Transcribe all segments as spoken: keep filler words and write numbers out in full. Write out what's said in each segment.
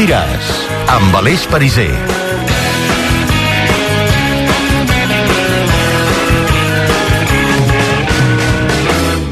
diràs, amb Aleix Pariser.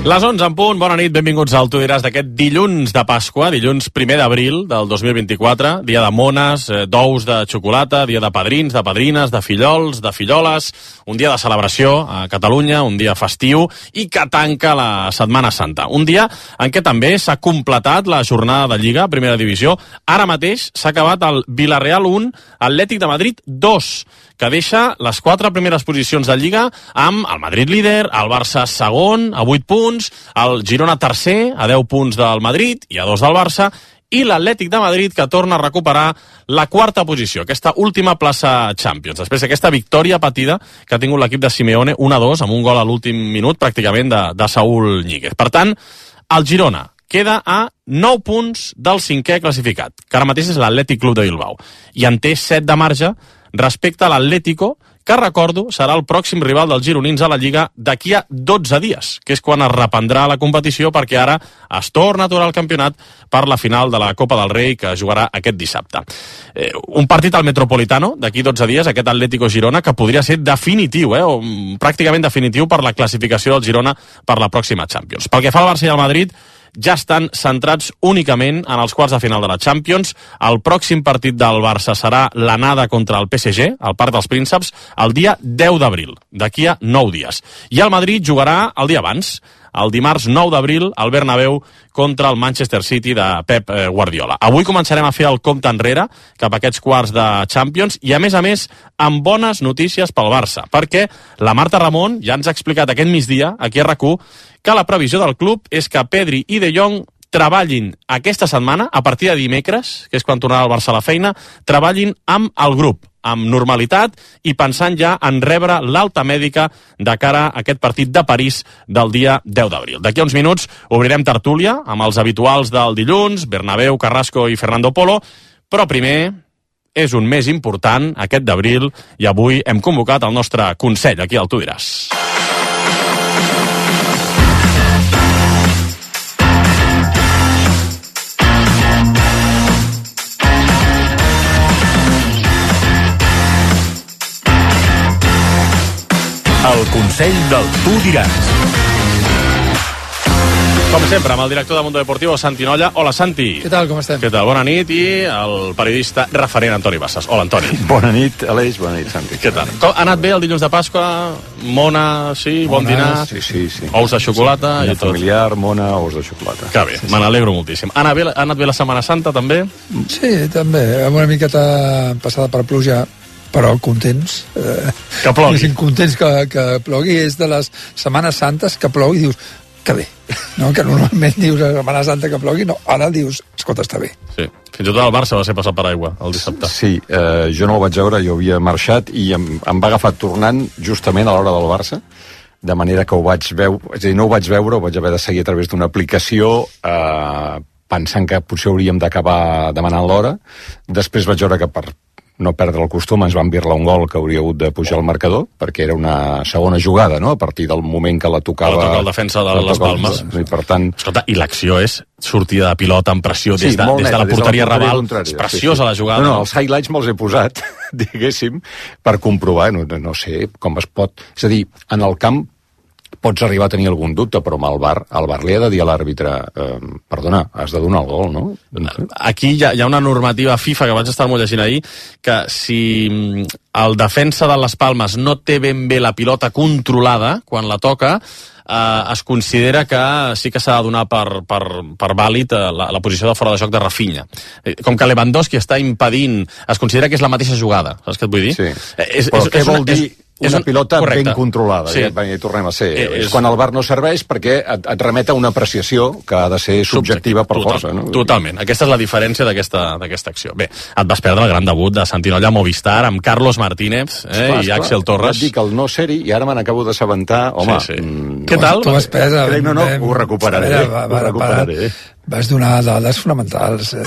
Les onze en punt, bona nit, benvinguts al Tu diràs d'aquest dilluns de Pasqua, dilluns primer d'abril del dos mil vint-i-quatre, dia de mones, eh, d'ous de xocolata, dia de padrins, de padrines, de fillols, de filloles, un dia de celebració a Catalunya, un dia festiu i que tanca la Setmana Santa. Un dia en què també s'ha completat la jornada de Lliga, Primera Divisió. Ara mateix s'ha acabat el Villarreal un, Atlètic de Madrid dos, que deixa les quatre primeres posicions de Lliga amb el Madrid líder, el Barça segon, a vuit punts, el Girona tercer, a deu punts del Madrid i a dos del Barça, i l'Atlètic de Madrid, que torna a recuperar la quarta posició, aquesta última plaça Champions, després d'aquesta victòria patida que ha tingut l'equip de Simeone un a dos, amb un gol a l'últim minut, pràcticament, de, de Saúl Ñíguez. Per tant, el Girona queda a nou punts del cinquè classificat, que ara mateix és l'Atlètic Club de Bilbao, i en té set de marge respecte a l'Atlético, que, recordo, serà el pròxim rival dels gironins a la Lliga d'aquí a dotze dies, que és quan es reprendrà la competició, perquè ara es torna a aturar el campionat per la final de la Copa del Rei, que jugarà aquest dissabte. Eh, un partit al Metropolitano, d'aquí dotze dies, aquest Atlético-Girona, que podria ser definitiu, eh, o pràcticament definitiu per la classificació del Girona per la pròxima Champions. Pel que fa al Barça i al Madrid, ja estan centrats únicament en els quarts de final de la Champions. El pròxim partit del Barça serà l'anada contra el P S G, al Parc dels Prínceps, el dia deu d'abril, d'aquí a nou dies. I el Madrid jugarà el dia abans, el dimarts nou d'abril, al Bernabéu, contra el Manchester City de Pep Guardiola. Avui començarem a fer el compte enrere cap a aquests quarts de Champions i, a més a més, amb bones notícies pel Barça, perquè la Marta Ramon ja ens ha explicat aquest migdia, aquí a RAC u, que la previsió del club és que Pedri i De Jong treballin aquesta setmana, a partir de dimecres, que és quan tornarà el Barça a la feina, treballin amb el grup, amb normalitat i pensant ja en rebre l'alta mèdica de cara a aquest partit de París del dia deu d'abril. D'aquí a uns minuts obrirem tertúlia amb els habituals del dilluns, Bernabéu, Carrasco i Fernando Polo, però primer és un mes important, aquest d'abril, i avui hem convocat el nostre Consell, aquí al Tu diràs. El Consell del Tu diràs. Com sempre, amb el director de Mundo Deportivo, Santi Nolla. Hola, Santi. Què tal, com estem? Què tal? Bona nit. I el periodista referent, Antoni Bassas. Hola, Antoni. Bona nit, Aleix. Bona nit, Santi. Què tal? Com, ha anat bé el dilluns de Pasqua? Mona, sí? Mona, bon dinar? Sí, sí, sí. Ous de xocolata sí, i tot. Familiar, mona, ous de xocolata. Que bé, sí, me n'alegro moltíssim. Ha anat, bé, ha anat bé la Setmana Santa, també? Sí, també. Amb una miqueta passada per pluja, però contents. Eh, que plogui. Contents que, que plogui. És de les Setmanes Santes que plogui i dius, que bé. No? Que normalment dius a Setmana Santa que plogui, no. Ara dius, escolta, està bé. Sí. Fins i tot el Barça va ser passat per aigua el dissabte. Sí, eh, jo no el vaig veure, jo havia marxat i em, em va agafar tornant justament a l'hora del Barça, de manera que ho vaig veure, és a dir, no ho vaig veure, ho vaig haver de seguir a través d'una aplicació, eh, pensant que potser hauríem d'acabar demanant l'hora. Després vaig veure que per no perdre el costum ens van birlar un gol que hauria hagut de pujar al marcador, perquè era una segona jugada, no?, a partir del moment que la tocava... La toca el defensa de les Palmes. I, per tant... Escolta, i l'acció és sortida de pilota amb pressió des, sí, de, des de la porteria raval. És preciosa, sí, sí, la jugada. No, no, els highlights me'ls he posat, diguéssim, per comprovar, no, no sé com es pot... És a dir, en el camp pots arribar a tenir algun dubte, però amb el V A R, el V A R li ha de dir a l'àrbitre, eh, perdona, has de donar el gol, no? Aquí hi ha, hi ha una normativa FIFA que vaig estar molt llegint ahir, que si el defensa de les Palmes no té ben bé la pilota controlada quan la toca, eh, es considera que sí que s'ha de donar per, per, per vàlid la, la posició de fora de joc de Rafinha. Com que Lewandowski està impedint, es considera que és la mateixa jugada, saps què et vull dir? Sí, és, però és, què és vol una, dir... És, una un, pilota correcte. Ben controlada, sí. ja, ja hi tornem a ser. Eh, és és quan el V A R no serveix perquè et, et remet a una apreciació que ha de ser subjectiva per Total, força. No? Totalment. Aquesta és la diferència d'aquesta acció. Bé, et vas perdre el gran debut de Santi Nolla a Movistar amb Carlos Martínez eh, esclar, i Axel Torres. Et dic el no ser-hi i ara me n'acabo d'assabentar. Home, sí, sí. Mm, Què tal? Tu has pres... Crec, no, no, ho recuperaré. Veure, va, va, ho recuperaré. Vas donar dades fonamentals, eh,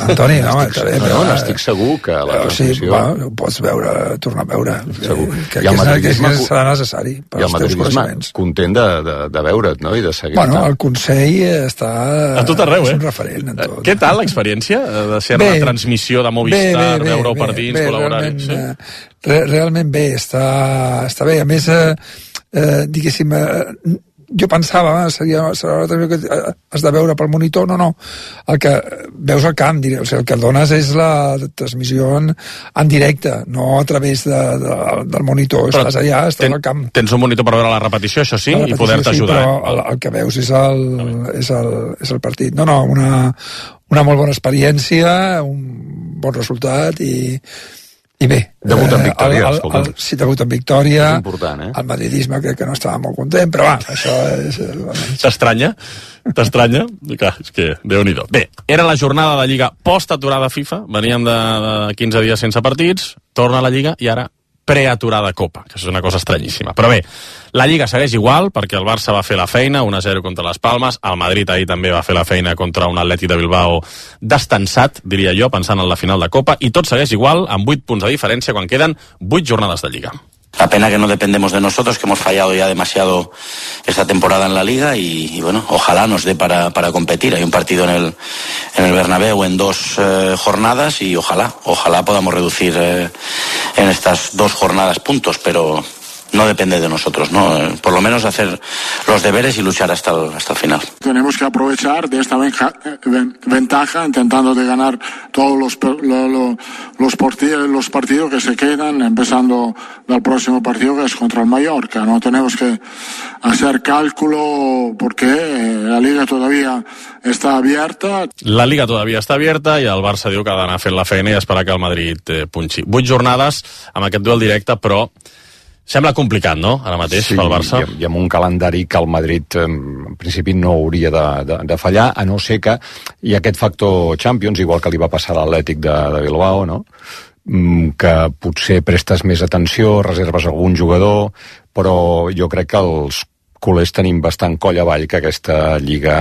Antoni, no? Estic, bé, no, no, estic segur que la transmissió... Sí, bueno, ho pots veure, tornar a veure. Segur. Que, que, que, que, que serà necessari per als teus coneixements. Content de, de, de veure't, no?, i de seguir. Bueno, el Consell està... A tot arreu, és eh? un referent en tot. Què tal l'experiència de ser a la transmissió de Movistar, veure-ho per dins, col·laborar-hi? Sí? Re, realment bé, està, està bé. A més, eh, eh, diguéssim... Eh, jo pensava, seria, serà una que has de veure pel monitor, no, no, el que veus al camp, o sigui, el que dones és la transmissió en, en directe, no a través de, de, del monitor. Però estàs allà, estàs ten, al camp. Tens un monitor per veure la repetició, això sí, repetició, i poder-te sí, ajudar. Però el, el que veus és el, és, el, és el partit. No, no, una, una molt bona experiència, un bon resultat i I bé, debut en victòria, el, el, el, sí, debut en victòria. És important, eh? El madridisme crec que no estava molt content, però va, això és... T'estranya? T'estranya? Clar, és que Déu-n'hi-do. Bé, era la jornada de Lliga post-aturada FIFA, veníem de, de quinze dies sense partits, torna a la Lliga i ara preaturada Copa, que és una cosa estranyíssima. Però bé, la Lliga segueix igual, perquè el Barça va fer la feina, un a zero contra les Palmes, el Madrid ahir també va fer la feina contra un Atlètic de Bilbao destensat, diria jo, pensant en la final de Copa, i tot segueix igual, amb vuit punts de diferència quan queden vuit jornades de Lliga. La pena que no dependemos de nosotros, que hemos fallado ya demasiado esta temporada en la Liga y, y bueno, ojalá nos dé para, para competir. Hay un partido en el, en el Bernabéu en dos eh, jornadas y ojalá, ojalá podamos reducir eh, en estas dos jornadas puntos, pero no depende de nosotros, ¿no? Por lo menos hacer los deberes y luchar hasta el, hasta el final. Tenemos que aprovechar de esta ventaja intentando de ganar todos los, lo, lo, los, partidos, los partidos que se quedan, empezando del próximo partido que es contra el Mallorca. No tenemos que hacer cálculo porque la Liga todavía está abierta. La Liga todavía està abierta i el Barça diu que ha d'anar fent la feina i esperar que el Madrid eh, punxi. Vuit jornades amb aquest duel directe, però sembla complicat, no?, ara mateix, sí, pel Barça. I, i amb un calendari que el Madrid en principi no hauria de, de, de fallar, a no ser que hi ha aquest factor Champions, igual que li va passar a l'Atlètic de, de Bilbao, no?, que potser prestes més atenció, reserves algun jugador, però jo crec que els culers tenim bastant coll avall que aquesta Lliga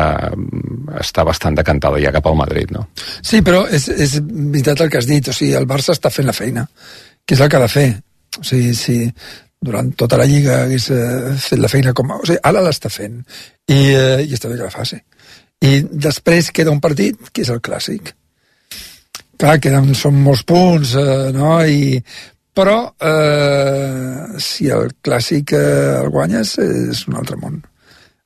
està bastant decantada ja cap al Madrid, no? Sí, però és, és veritat el que has dit, o sigui, el Barça està fent la feina, que és el que ha de fer. O sigui, si durant tota la Lliga hagués eh, fet la feina com... O sigui, ara l'està fent i, eh, i està bé que la faci. I després queda un partit que és el Clàssic. Clar, queden, són molts punts, eh, no? I, però eh, si el Clàssic eh, el guanyes és un altre món.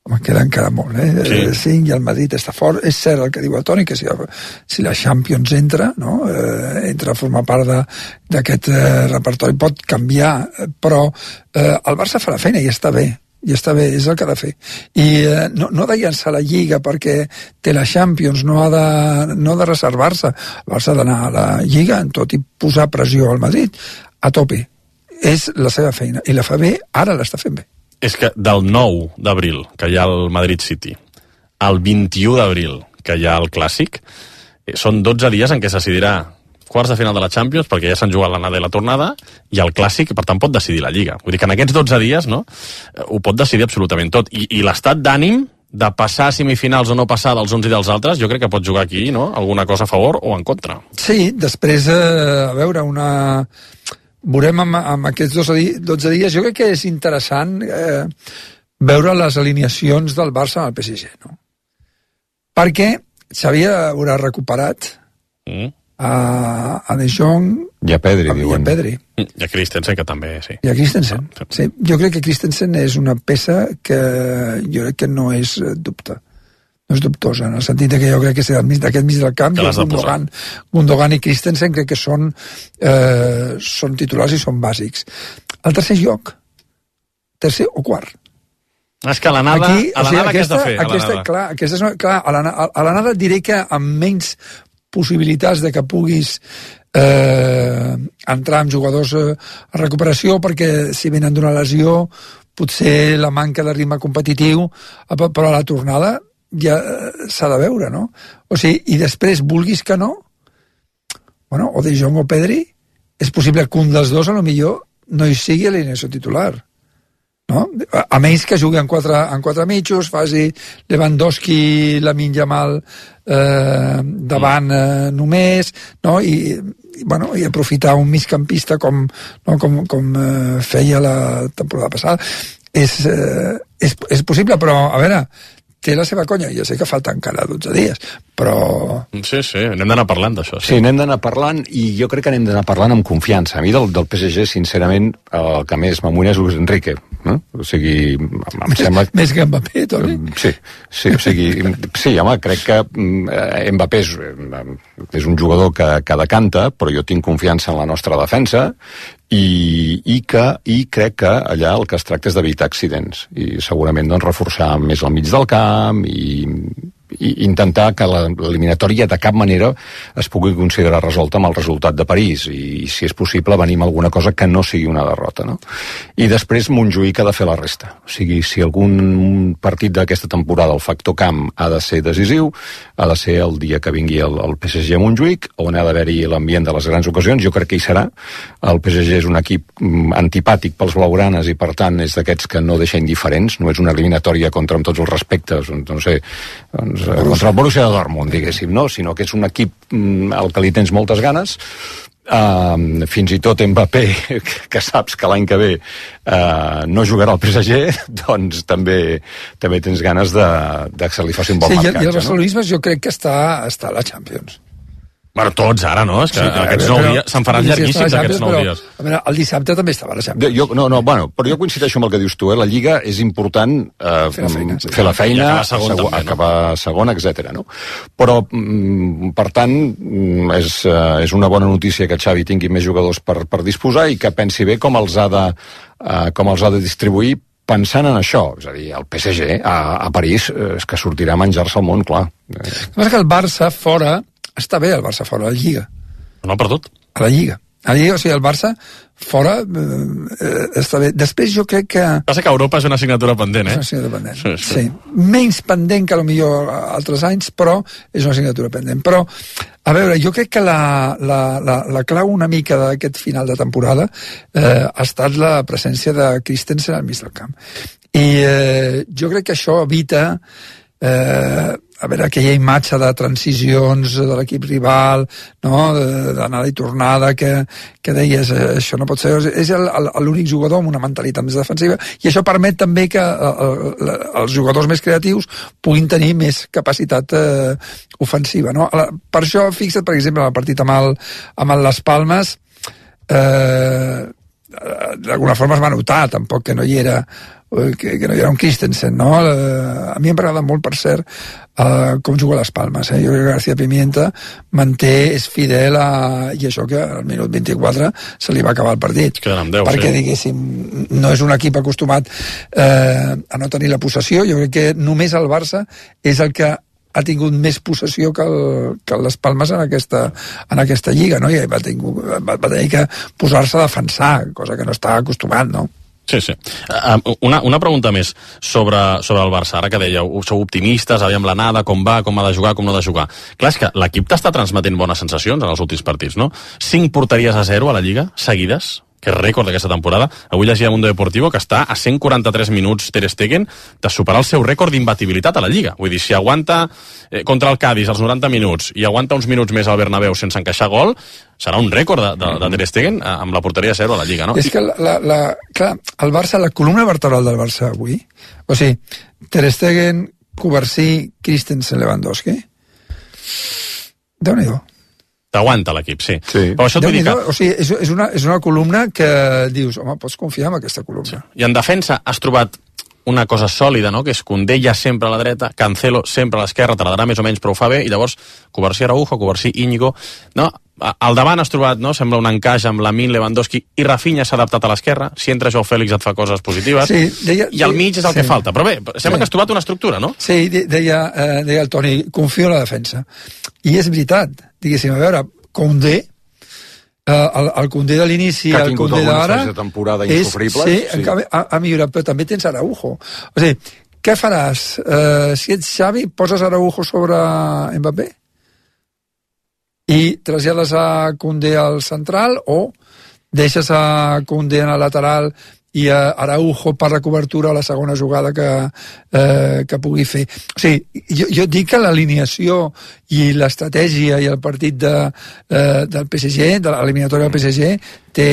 Home, queda encara molt, eh? Sí. cinc i el Madrid està fort. És cert el que diu el Toni, que si, si la Champions entra, no? Eh, entra a formar part d'aquest eh, repertori, pot canviar, però eh, el Barça fa la feina i està bé, i està bé, és el que ha de fer. I eh, no, no de llançar la Lliga perquè té la Champions, no ha de, no ha de reservar-se. El Barça ha d'anar a la Lliga en tot i posar pressió al Madrid a tope. És la seva feina, i la fa bé, ara l'està fent bé. És que del nou d'abril, que hi ha el Madrid City, al vint-i-u d'abril, que hi ha el Clàssic, són dotze dies en què se decidirà quarts de final de la Champions, perquè ja s'han jugat l'anada i la tornada, i el Clàssic, per tant, pot decidir la Lliga. Vull dir que en aquests dotze dies, no?, ho pot decidir absolutament tot. I, i l'estat d'ànim de passar a semifinals o no passar dels uns i dels altres, jo crec que pot jugar aquí, no?, alguna cosa a favor o en contra. Sí, després, eh, a veure, una... veurem amb, amb aquests dotze dies, jo crec que és interessant eh, veure les alineacions del Barça amb el P S G, no? Perquè Xavi haurà recuperat mm. a, a De Jong i a Pedri, a, diuen. I a Pedri. I a Christensen, que també, sí. I a Christensen, sí. Jo crec que Christensen és una peça que jo crec que no és dubte. No és dubtosa, en el sentit que jo crec que d'aquest mig del camp, Gundogan, Gundogan i Christensen crec que són, eh, són titulars i són bàsics. El tercer lloc, tercer o quart. És que a l'anada, Aquí, a l'anada o sigui, què has de fer? Aquesta, a clar, aquesta és una, clar, a l'anada diré que amb menys possibilitats de que puguis eh, entrar amb jugadors eh, a recuperació, perquè si venen d'una lesió, potser la manca de ritme competitiu, però a la tornada ja s'ha de veure, no? O sigui, i després, vulguis que no, bueno, o De Jong o Pedri, és possible que un dels dos, a lo millor, no hi sigui a l'alineació titular. no? A menys que jugui en quatre, en quatre mitjos, faci Lewandowski, Lamine Yamal eh, davant eh, només, no? I, i, bueno, i aprofitar un migcampista com, no? com, com eh, feia la temporada passada. És, eh, és, és possible, però, a veure, té la seva conya. Jo sé que falta encara dotze dies, però... Sí, sí, anem d'anar parlant d'això. Sí. sí, anem d'anar parlant, i jo crec que anem d'anar parlant amb confiança. A mi del, del P S G, sincerament, el que més m'amoïna és Luis Enrique. No? O sigui, em sembla... Més que Mbappé, Toni? Sí, sí, o sigui, sí, home, crec que Mbappé és, és un jugador que, que decanta, però jo tinc confiança en la nostra defensa, i, i, que, i crec que allà el que es tracta és d'evitar accidents, i segurament doncs, reforçar més al mig del camp, i, i intentar que l'eliminatòria de cap manera es pugui considerar resolta amb el resultat de París, i, i si és possible venir amb alguna cosa que no sigui una derrota, no? I després Montjuïc ha de fer la resta. O sigui, si algun partit d'aquesta temporada el factor camp ha de ser decisiu, ha de ser el dia que vingui el, el P S G a Montjuïc, on ha d'haver-hi l'ambient de les grans ocasions. Jo crec que hi serà. El P S G és un equip antipàtic pels blaugranes, i per tant és d'aquests que no deixa indiferents. No és una eliminatòria contra, amb tots els respectes, no sé, doncs, contra el Borussia de Dortmund, diguéssim, no? Sinó que és un equip al que li tens moltes ganes. Uh, fins i tot Mbappé, que saps que l'any que ve uh, no jugarà al P S G, doncs també també tens ganes de, de que se li faci un bon sí, marcatge. I el barcelonisme, no? Jo crec que està, està a la Champions. Bueno, tots ara, no? És que sí, aquests nou dies se'n faran llarguíssims, aquests nou dies. A veure, el dissabte també estava a la Champions. Jo, no, no, bueno, però jo coincideixo amb el que dius tu, eh? La Lliga és important eh, fer la feina, sí. fer la feina, acabar segon, segon, també, no? acabar segon, etcètera. No? Però, mm, per tant, mm, és, eh, és una bona notícia que Xavi tingui més jugadors per, per disposar, i que pensi bé com els ha de, eh, com els ha de distribuir, pensant en això. És a dir, el P S G a, a París eh, és que sortirà a menjar-se el món, clar. El que passa que el Barça fora, està bé el Barça fora, a la Lliga. No ha perdut. A la Lliga. A la Lliga, o sigui, el Barça fora eh, està bé. Després jo crec que... Passa que Europa és una assignatura pendent, eh? És una assignatura pendent, sí, sí. sí. Menys pendent que potser altres anys, però és una assignatura pendent. Però, a veure, jo crec que la, la, la, la clau una mica d'aquest final de temporada eh, ha estat la presència de Christensen al mig del camp. I eh, jo crec que això evita... Eh, a veure, aquella imatge de transicions de l'equip rival, no? D'anada i tornada, que, que deies, eh, això no pot ser... És l'únic jugador amb una mentalitat més defensiva, i això permet també que eh, els jugadors més creatius puguin tenir més capacitat eh, ofensiva, no? Per això, fixa't, per exemple, en el partit amb, el, amb el Las Palmes, eh, d'alguna forma es va notar, tampoc que no hi era que, que no hi era un Christensen, no? A mi em agrada molt, per cert, uh, com juga a les Palmes, eh? Jo crec que García Pimienta manté, és fidel a... i això que al minut vint-i-quatre se li va acabar el partit. deu, perquè, sí. diguéssim, no és un equip acostumat eh, a no tenir la possessió. Jo crec que només el Barça és el que ha tingut més possessió que, el, que les Palmes en aquesta, en aquesta lliga, no? I va, tingut, va, va tenir que posar-se a defensar, cosa que no està acostumat, no? Sí, sí. Una, una pregunta més sobre, sobre el Barça. Ara que dèieu, sou optimistes, aviam l'anada, com va, com ha de jugar, com no ha de jugar. Clar, és que l'equip t'està transmetent bones sensacions en els últims partits, no? Cinc porteries a zero a la Lliga, seguides, que és rècord d'aquesta temporada. Avui llegia a Mundo Deportivo que està a cent quaranta-tres minuts Ter Stegen de superar el seu rècord d'imbatibilitat a la Lliga. Vull dir, si aguanta eh, contra el Cádiz als noranta minuts i aguanta uns minuts més al Bernabéu sense encaixar gol, serà un rècord de, de, de Ter Stegen amb la porteria a zero a la Lliga, no? És que, la, la, la, clar, el Barça, la columna vertebral del Barça avui, o sigui, Ter Stegen, Covarsí, Christensen, Lewandowski, Déu-n'hi-do. T'aguanta l'equip, sí. sí. Però això et vull dir que... O sigui, és, és, una, és una columna que dius, home, pots confiar en aquesta columna. I en defensa has trobat una cosa sòlida, no? Que és Koundé ja sempre a la dreta, Cancelo sempre a l'esquerra, te la darà més o menys prou fa bé, i llavors Covarsí Araujo, Covarsí Íñigo, no? Al davant has trobat, no? Sembla un encaix amb Lamine, Lewandowski, i Rafinha s'ha adaptat a l'esquerra, si entra Joao Fèlix et fa coses positives, sí, deia, i al mig és el sí, que falta. Però bé, sembla sí. que has trobat una estructura, no? Sí, deia, eh, deia el Toni, confio en la defensa. I és veritat, diguéssim, a veure, Koundé, eh, el, el Koundé de l'inici, el Koundé d'ara, de temporada insofribles, sí, sí. Ha, ha millorat, però també tens Araujo. O sigui, què faràs? Eh, si ets Xavi, poses Araujo sobre Mbappé? I trasllades a Koundé al central, o deixes a Koundé en el lateral i uh, Araujo per la cobertura a la segona jugada que, uh, que pugui fer. O sigui, jo, jo dic que l'alineació i l'estratègia i el partit de, uh, del P S G, de l'eliminatòria del P S G, té,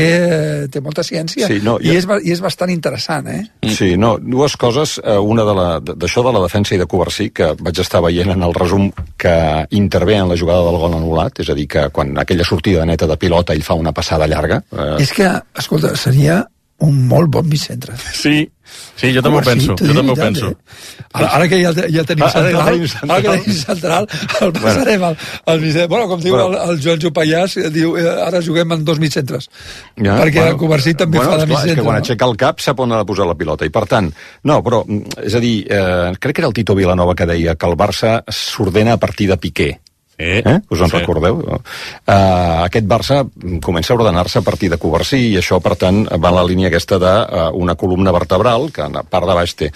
té molta ciència, sí, no, I, ja... és, i és bastant interessant, eh? Sí, no, dues coses, una de la, d'això de la defensa i de Covarsí, que vaig estar veient en el resum que intervé en la jugada del gol anul·lat, és a dir, que quan aquella sortida neta de pilota ell fa una passada llarga... Eh... És que, escolta, seria un molt bon mig-centre. Sí, sí, jo també ho penso, jo també ho penso. Ara, ara que ja, ja tenim ah, central, ara que tenim central, el passarem al, al mig-centre. Bueno, com diu bueno. el, el Joan Jopallàs, diu, ara juguem en dos mig-centres. Ja, perquè bueno, el Covarsí també bueno, fa de mig-centre. És que quan no? aixeca el cap sap on ha de posar la pilota, i per tant, no, però, és a dir, eh, crec que era el Tito Vilanova que deia que el Barça s'ordena a partir de Piqué. Eh? Eh? Us en sí. recordeu? Uh, aquest Barça comença a ordenar-se a partir de Covarsí i això, per tant, va en la línia aquesta d'una uh, columna vertebral que a part de baix té.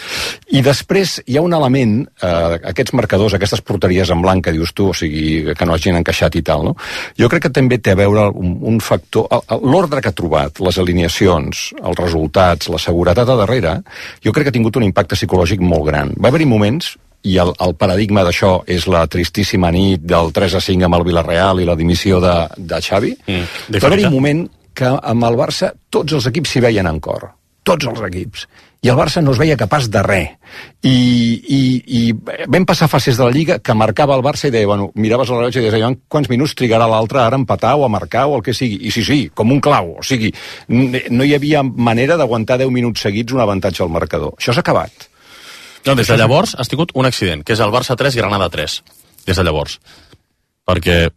I després hi ha un element, uh, aquests marcadors, aquestes porteries en blanc que dius tu, o sigui, que no hagin encaixat i tal, no? Jo crec que també té a veure un, un factor, l'ordre que ha trobat, les alineacions, els resultats, la seguretat a darrere, jo crec que ha tingut un impacte psicològic molt gran. Va haver-hi moments i el, el paradigma d'això és la tristíssima nit del tres a cinc amb el Villarreal i la dimissió de, de Xavi. Mm, va haver-hi un moment que amb el Barça tots els equips s'hi veien en cor. Tots els equips. I el Barça no es veia capaç de res. I, i, i vam passar fases de la Lliga que marcava el Barça i deia, bueno, miraves el rellotge i deies, quants minuts trigarà l'altre ara a empatar o a marcar o el que sigui. I sí, sí, com un clau. O sigui, no hi havia manera d'aguantar deu minuts seguits un avantatge al marcador. Això s'ha acabat. No, des de llavors has tingut un accident, que és el Barça tres, Granada tres, des de llavors. Perquè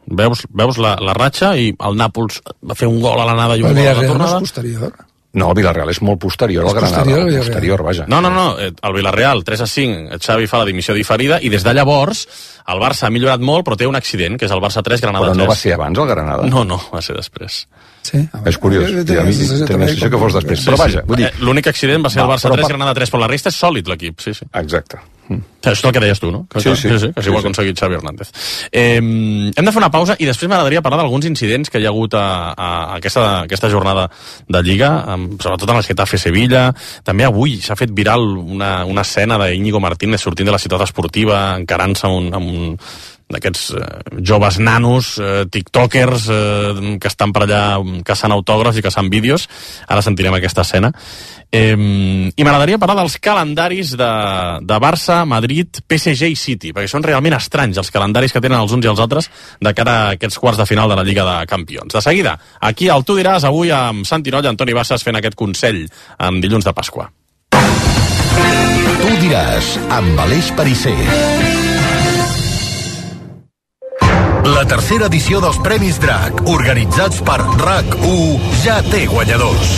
veus, veus la, la ratxa i el Nàpols va fer un gol a l'anada i un gol a la tornada. El Villarreal no és posterior? No, el Villarreal és molt posterior al Granada. Posterior, posterior, vaja. No, no, no, el Villarreal tres a cinc, Xavi fa la dimissió diferida i des de llavors el Barça ha millorat molt però té un accident, que és el Barça tres, Granada tres. Però no va ser abans el Granada? No, no, va ser després. Sí, és curiós, a mi tenia la sensació que fos després, però vaja, vull dir... L'únic accident va ser el Barça tres, Granada tres, però la resta és sòlid l'equip, sí, sí. Exacte. Això és el que deies tu, no? Que, sí, sí, que, sí, que sí, ho ha aconseguit Xavi Hernández. Eh, hem de fer una pausa i després m'agradaria parlar d'alguns incidents que hi ha hagut a, a aquesta, aquesta jornada de Lliga, sobretot en el Getafe Sevilla. També avui s'ha fet viral una, una escena d'Íñigo Martínez sortint de la ciutat esportiva, encarant-se amb un, amb un d'aquests eh, joves nanos, eh, tiktokers, eh, que estan per allà caçant autògrafs i caçant vídeos. Ara sentirem aquesta escena. Eh, I m'agradaria parlar dels calendaris de, de Barça, Madrid, P S G i City, perquè són realment estranys els calendaris que tenen els uns i els altres de cara a aquests quarts de final de la Lliga de Campions. De seguida, aquí al Tu diràs, avui amb Santi Noll i Antoni Bassas fent aquest consell en dilluns de Pasqua. Tu diràs, amb Aleix Perisser. La tercera edició dels Premis Drac, organitzats per RAC u, ja té guanyadors.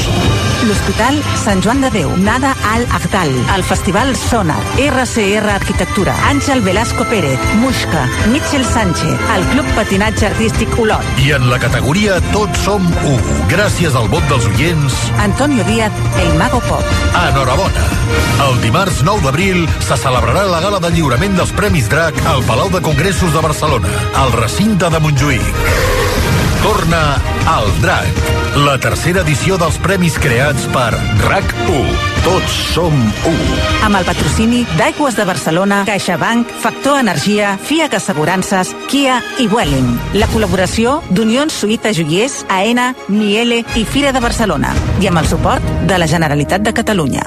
L'Hospital Sant Joan de Déu, Nada Al Agdal, el Festival Sonar, R C R Arquitectura, Àngel Velasco Pérez, Muixca, Mitchell Sánchez, el Club Patinatge Artístic Olot. I en la categoria Tots som u, gràcies al vot dels oients, Antonio Díaz, el Mago Pop. Enhorabona. El dimarts nou d'abril se celebrarà la gala de lliurament dels Premis Drac al Palau de Congressos de Barcelona, al recinte de Montjuïc. Torna al Drac, la tercera edició dels premis creats per RAC u. Tots som u. Amb el patrocini d'Aigües de Barcelona, CaixaBank, Factor Energia, FIAC Assegurances, Kia i Vueling. La col·laboració d'Unions Suïta Joiers, AENA, Miele i Fira de Barcelona. I amb el suport de la Generalitat de Catalunya.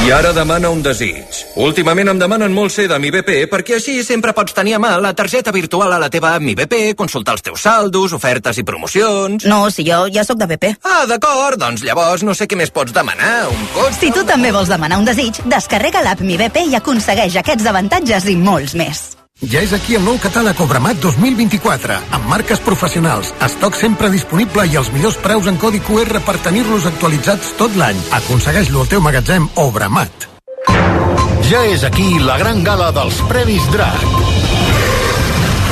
I ara demana un desig. Últimament em demanen molt ser de Mi B P perquè així sempre pots tenir a mà la targeta virtual a la teva Mi B P, consultar els teus saldos, ofertes i promocions... No, si jo ja sóc de B P. Ah, d'acord, doncs llavors no sé què més pots demanar, un cotxe... Si tu també vols demanar un desig, descarrega l'app Mi B P i aconsegueix aquests avantatges i molts més. Ja és aquí el nou catàleg Obramat dos mil vint-i-quatre, amb marques professionals, estoc sempre disponible i els millors preus en codi Q R per tenir-los actualitzats tot l'any. Aconsegueix-lo al teu magatzem Obramat. Ja és aquí la gran gala dels Premis Drac.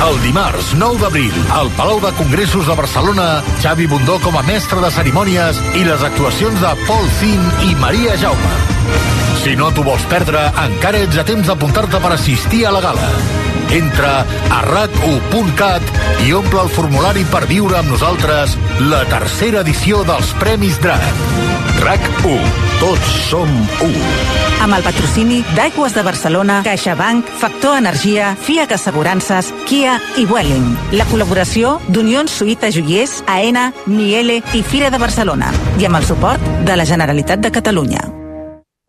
El dimarts nou d'abril, al Palau de Congressos de Barcelona, Xavi Bundó com a mestre de cerimònies i les actuacions de Paul Finn i Maria Jaume. Si no t'ho vols perdre, encara ets a temps d'apuntar-te per assistir a la gala. Entra a rac u punt cat i omple el formulari per viure amb nosaltres la tercera edició dels Premis Drac. RAC u. Tots som u. Amb el patrocini d'Aigües de Barcelona, CaixaBank, Factor Energia, Fiac Assegurances, Kia i Vueling. La col·laboració d'Unió Suïssa Joiers, Aena, Miele i Fira de Barcelona. I amb el suport de la Generalitat de Catalunya.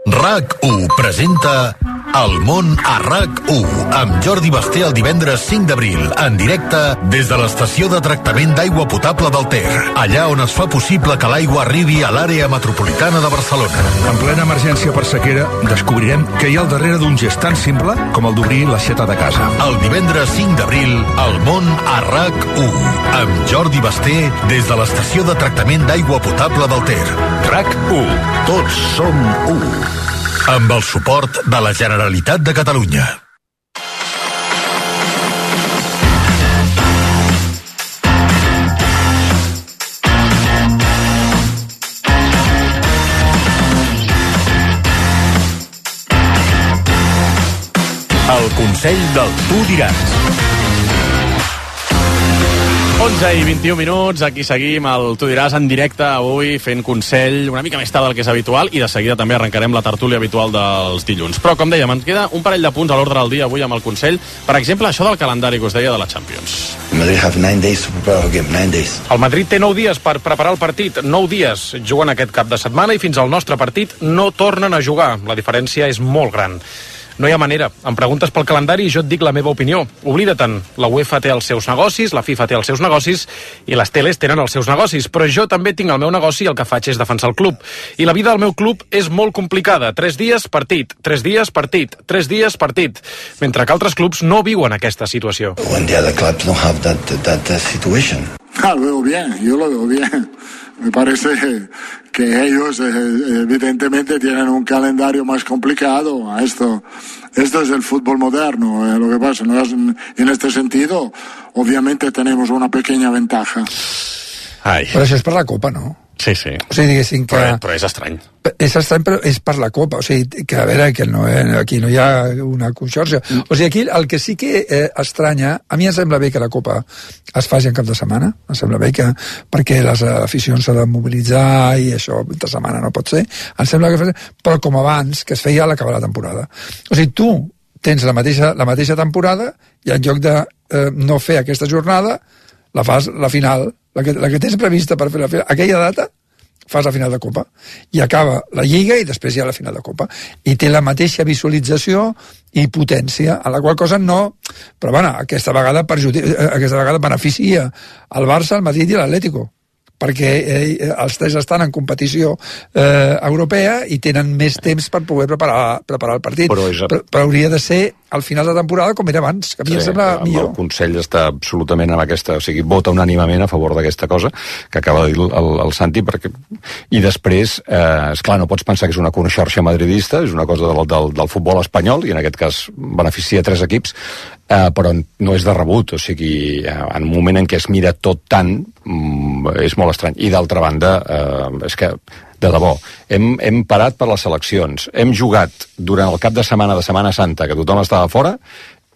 RAC u presenta El món a RAC u amb Jordi Basté el divendres cinc d'abril en directe des de l'estació de tractament d'aigua potable del Ter, allà on es fa possible que l'aigua arribi a l'àrea metropolitana de Barcelona. En plena emergència per sequera descobrirem què hi ha al darrere d'un gest tan simple com el d'obrir l'aixeta de casa. El divendres cinc d'abril, El món a RAC u amb Jordi Basté des de l'estació de tractament d'aigua potable del Ter. RAC u. Tots som u. Amb el suport de la Generalitat de Catalunya. El Consell del Tu diràs. onze i vint-i-un minuts, aquí seguim el Tu diràs en directe avui fent consell una mica més tard del que és habitual i de seguida també arrencarem la tertúlia habitual dels dilluns. Però com dèiem, ens queda un parell de punts a l'ordre del dia avui amb el consell. Per exemple, això del calendari que us deia de la Champions. Madrid have nine days to prepare a game, nine days. El Madrid té nou dies per preparar el partit, nou dies juguen aquest cap de setmana i fins al nostre partit no tornen a jugar. La diferència és molt gran. No hi ha manera. Em preguntes pel calendari i jo et dic la meva opinió. Oblida-te'n. La UEFA té els seus negocis, la FIFA té els seus negocis i les teles tenen els seus negocis. Però jo també tinc el meu negoci i el que faig és defensar el club. I la vida del meu club és molt complicada. Tres dies, partit. Tres dies, partit. Tres dies, partit. Mentre que altres clubs no viuen aquesta situació. When the other clubs don't have that, that, that situation. Ah, lo veo bien, yo lo veo bien. Me parece que ellos eh, evidentemente tienen un calendario más complicado. Esto, esto es el fútbol moderno. Eh, lo que pasa, ¿no? En este sentido, obviamente tenemos una pequeña ventaja. Ai. Però això és per la Copa, no? Sí, sí. O sigui, diguéssim que... Però, però és estrany. És estrany, però és per la Copa. O sigui, que a veure, que no, aquí no hi ha una conxorxa. O sigui, aquí el que sí que eh, estranya... A mi em sembla bé que la Copa es faci en cap de setmana. Em sembla bé que... Perquè les aficions s'han de mobilitzar i això de setmana no pot ser. Em sembla que... Però com abans, que es feia a l'acabar la temporada. O sigui, tu tens la mateixa, la mateixa temporada i en lloc de eh, no fer aquesta jornada, la fas la final... La que, la que tens prevista per fer la final, aquella data, fas la final de Copa. I acaba la Lliga i després hi ha la final de Copa. I té la mateixa visualització i potència, en la qual cosa no... Però, bueno, aquesta vegada, perjudica, aquesta vegada beneficia el Barça, el Madrid i l'Atlético, perquè eh, els tres estan en competició eh, europea i tenen més temps per poder preparar, preparar el partit. Però, és... però, però hauria de ser al final de temporada com era abans, que a mi sí, em sembla millor. El Consell està absolutament amb aquesta... O sigui, vota unànimament a favor d'aquesta cosa que acaba de dir el, el Santi, perquè... I després, eh, esclar, no pots pensar que és una conxorxa madridista, és una cosa del, del, del futbol espanyol, i en aquest cas beneficia tres equips, eh, però no és de rebut. O sigui, en un moment en què es mira tot tant, mm, és molt estrany. I d'altra banda, eh, és que... de debò, hem, hem parat per les seleccions, hem jugat durant el cap de setmana de Setmana Santa, que tothom estava fora,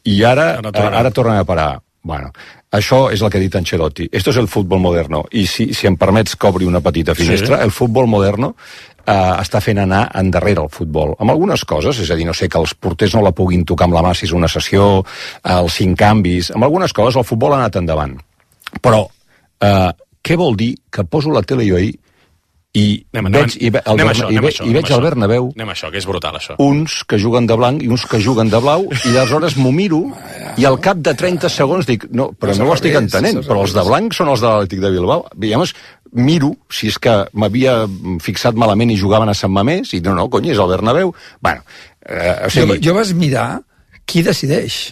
i ara, ara, tornem. ara tornem a parar. Bueno, això és el que ha dit Ancelotti. Esto es el fútbol moderno. I si, si em permets que obri una petita finestra, sí. El futbol moderno eh, està fent anar endarrere el futbol. Amb algunes coses, és a dir, no sé, que els porters no la puguin tocar amb la mà si és una sessió, els cinc canvis, amb algunes coses el futbol ha anat endavant. Però, eh, què vol dir que poso la tele jo ahir i anem, veig, i, ve, el Berna, això, i, ve, això, i veig al Bernabéu anem això, que és brutal això, uns que juguen de blanc i uns que juguen de blau i aleshores m'ho miro i al cap de trenta segons dic, no, però no ho estic entenent, però els de blanc són els de l'Atlètic de Bilbao, i llavors miro si és que m'havia fixat malament i jugaven a Sant Mamés i no, no, cony, és el Bernabéu. Bueno, eh, o sigui... jo, jo vas mirar qui decideix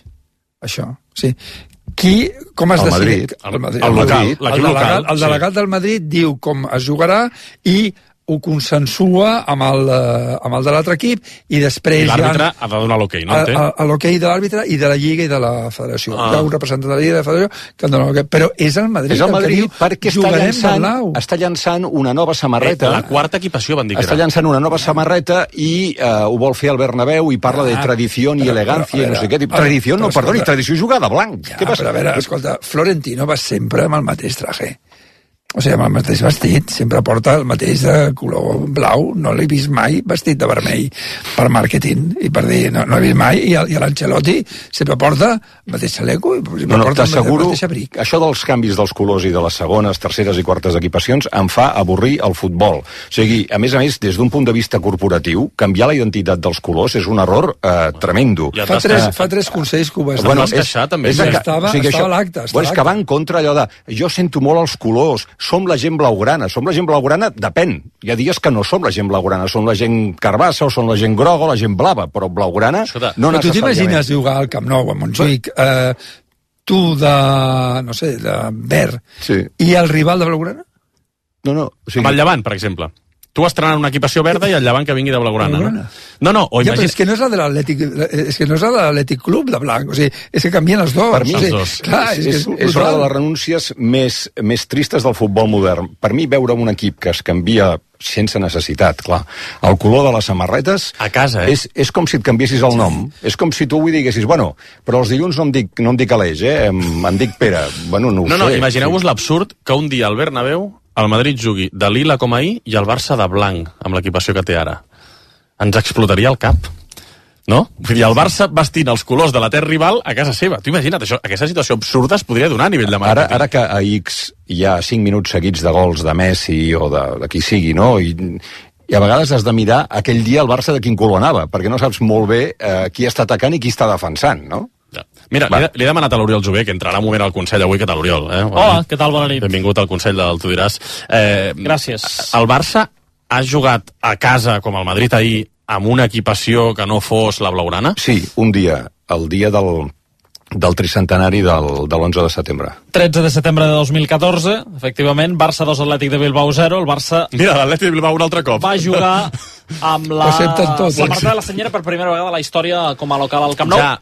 això, o sigui, qui, com es decideix? El Madrid. El, el, Madrid. El, el, delegat, el delegat sí. del Madrid diu com es jugarà i ho consensua amb el, amb el de l'altre equip i després I l'àrbitre ha de donar l'hoquei, no? L'hoquei de l'àrbitre i de la Lliga i de la Federació. Ah. Hi ha un representant de la Lliga i de la Federació que en dona l'hoquei. Però és el Madrid, és el Madrid que diu perquè està llançant, està llançant una nova samarreta. Eh, la quarta equipació van dir que està llançant una nova samarreta i eh, ho vol fer al Bernabéu i parla ah, de tradició i elegància i no sé què. Tradició, no, perdoni, tradició jugada blanc. Ja, què passa? Però a veure, escolta, Florentino va sempre amb el mateix traje. o sigui, amb el mateix vestit, sempre porta el mateix de color blau, no l'he vist mai vestit de vermell per màrqueting, i per dir, no, no he vist mai, i, i l'Ancelotti sempre porta el mateix xaleco, i sempre no, no, porta el t'asseguro, mateix abric. Això dels canvis dels colors i de les segones, terceres i quartes equipacions em fa avorrir el futbol. O sigui, a més a més, des d'un punt de vista corporatiu, canviar la identitat dels colors és un error eh, tremendo. Ja fa, tres, fa tres consells que ho vas bueno, és, queixar, també. És, estava, o sigui, estava a l'acte. Bueno, és que va en contra allò de, jo sento molt els colors, som la gent blaugrana, som la gent blaugrana, depèn. Hi ha dies que no som la gent blaugrana, som la gent carbassa o som la gent groga o la gent blava, però blaugrana de... no però necessàriament. tu t'imagines jugar al Camp Nou, a Montjuïc, eh, tu de, no sé, de verd, sí. i el rival de blaugrana? No, no. O sigui... Amb el Llevant, per exemple. Tu estrenant una equipació verda i el Llevant que vingui de blaugrana, no? No, no, o ja, imagina... però és que no és la de l'Atlètic, és que no és la de l'Atlètic Club de blanc, o sigui, és que canvien els dos. Per mi, o sigui, dos. Clar, és, és, és, és, és una de les renúncies més, més tristes del futbol modern. Per mi, veure un equip que es canvia sense necessitat, clar. El color de les samarretes... A casa, eh? És, és com si et canviessis el nom. És com si tu avui diguessis, bueno, però els dilluns no em dic, no em dic Aleix, eh? Em, em dic Pere. Bueno, no ho no, sé. No, imagineu-vos sí. L'absurd que un dia al Bernabéu el Madrid jugui de lila com ahir i el Barça de blanc, amb l'equipació que té ara. Ens explotaria el cap. No? I el Barça vestint els colors de la terra rival a casa seva. Tu imagina't, això, aquesta situació absurda es podria donar a nivell de màrqueting. Ara, ara que a X hi ha cinc minuts seguits de gols de Messi o de, de qui sigui, no? I, i a vegades has de mirar aquell dia el Barça de quin color anava, perquè no saps molt bé eh, qui està atacant i qui està defensant, no? Ja. Mira, li, li he demanat a l'Oriol Jové, que entrarà un moment al Consell avui. Què tal, Oriol? Eh? Hola, què tal? Bona nit. Benvingut al Consell del Tu diràs. Eh, Gràcies. El Barça ha jugat a casa, com el Madrid ahir, amb una equipació que no fos la blaugrana? Sí, un dia, el dia del, del tricentenari del, de l'onze de setembre. tretze de setembre de dos mil catorze, efectivament, Barça dos, Atlètic de Bilbao zero, el Barça... Mira, l'Atlètic de Bilbao un altre cop. Va jugar amb la tot, samarreta de la Senyera per primera vegada a la història com a local al Camp Nou. Ja.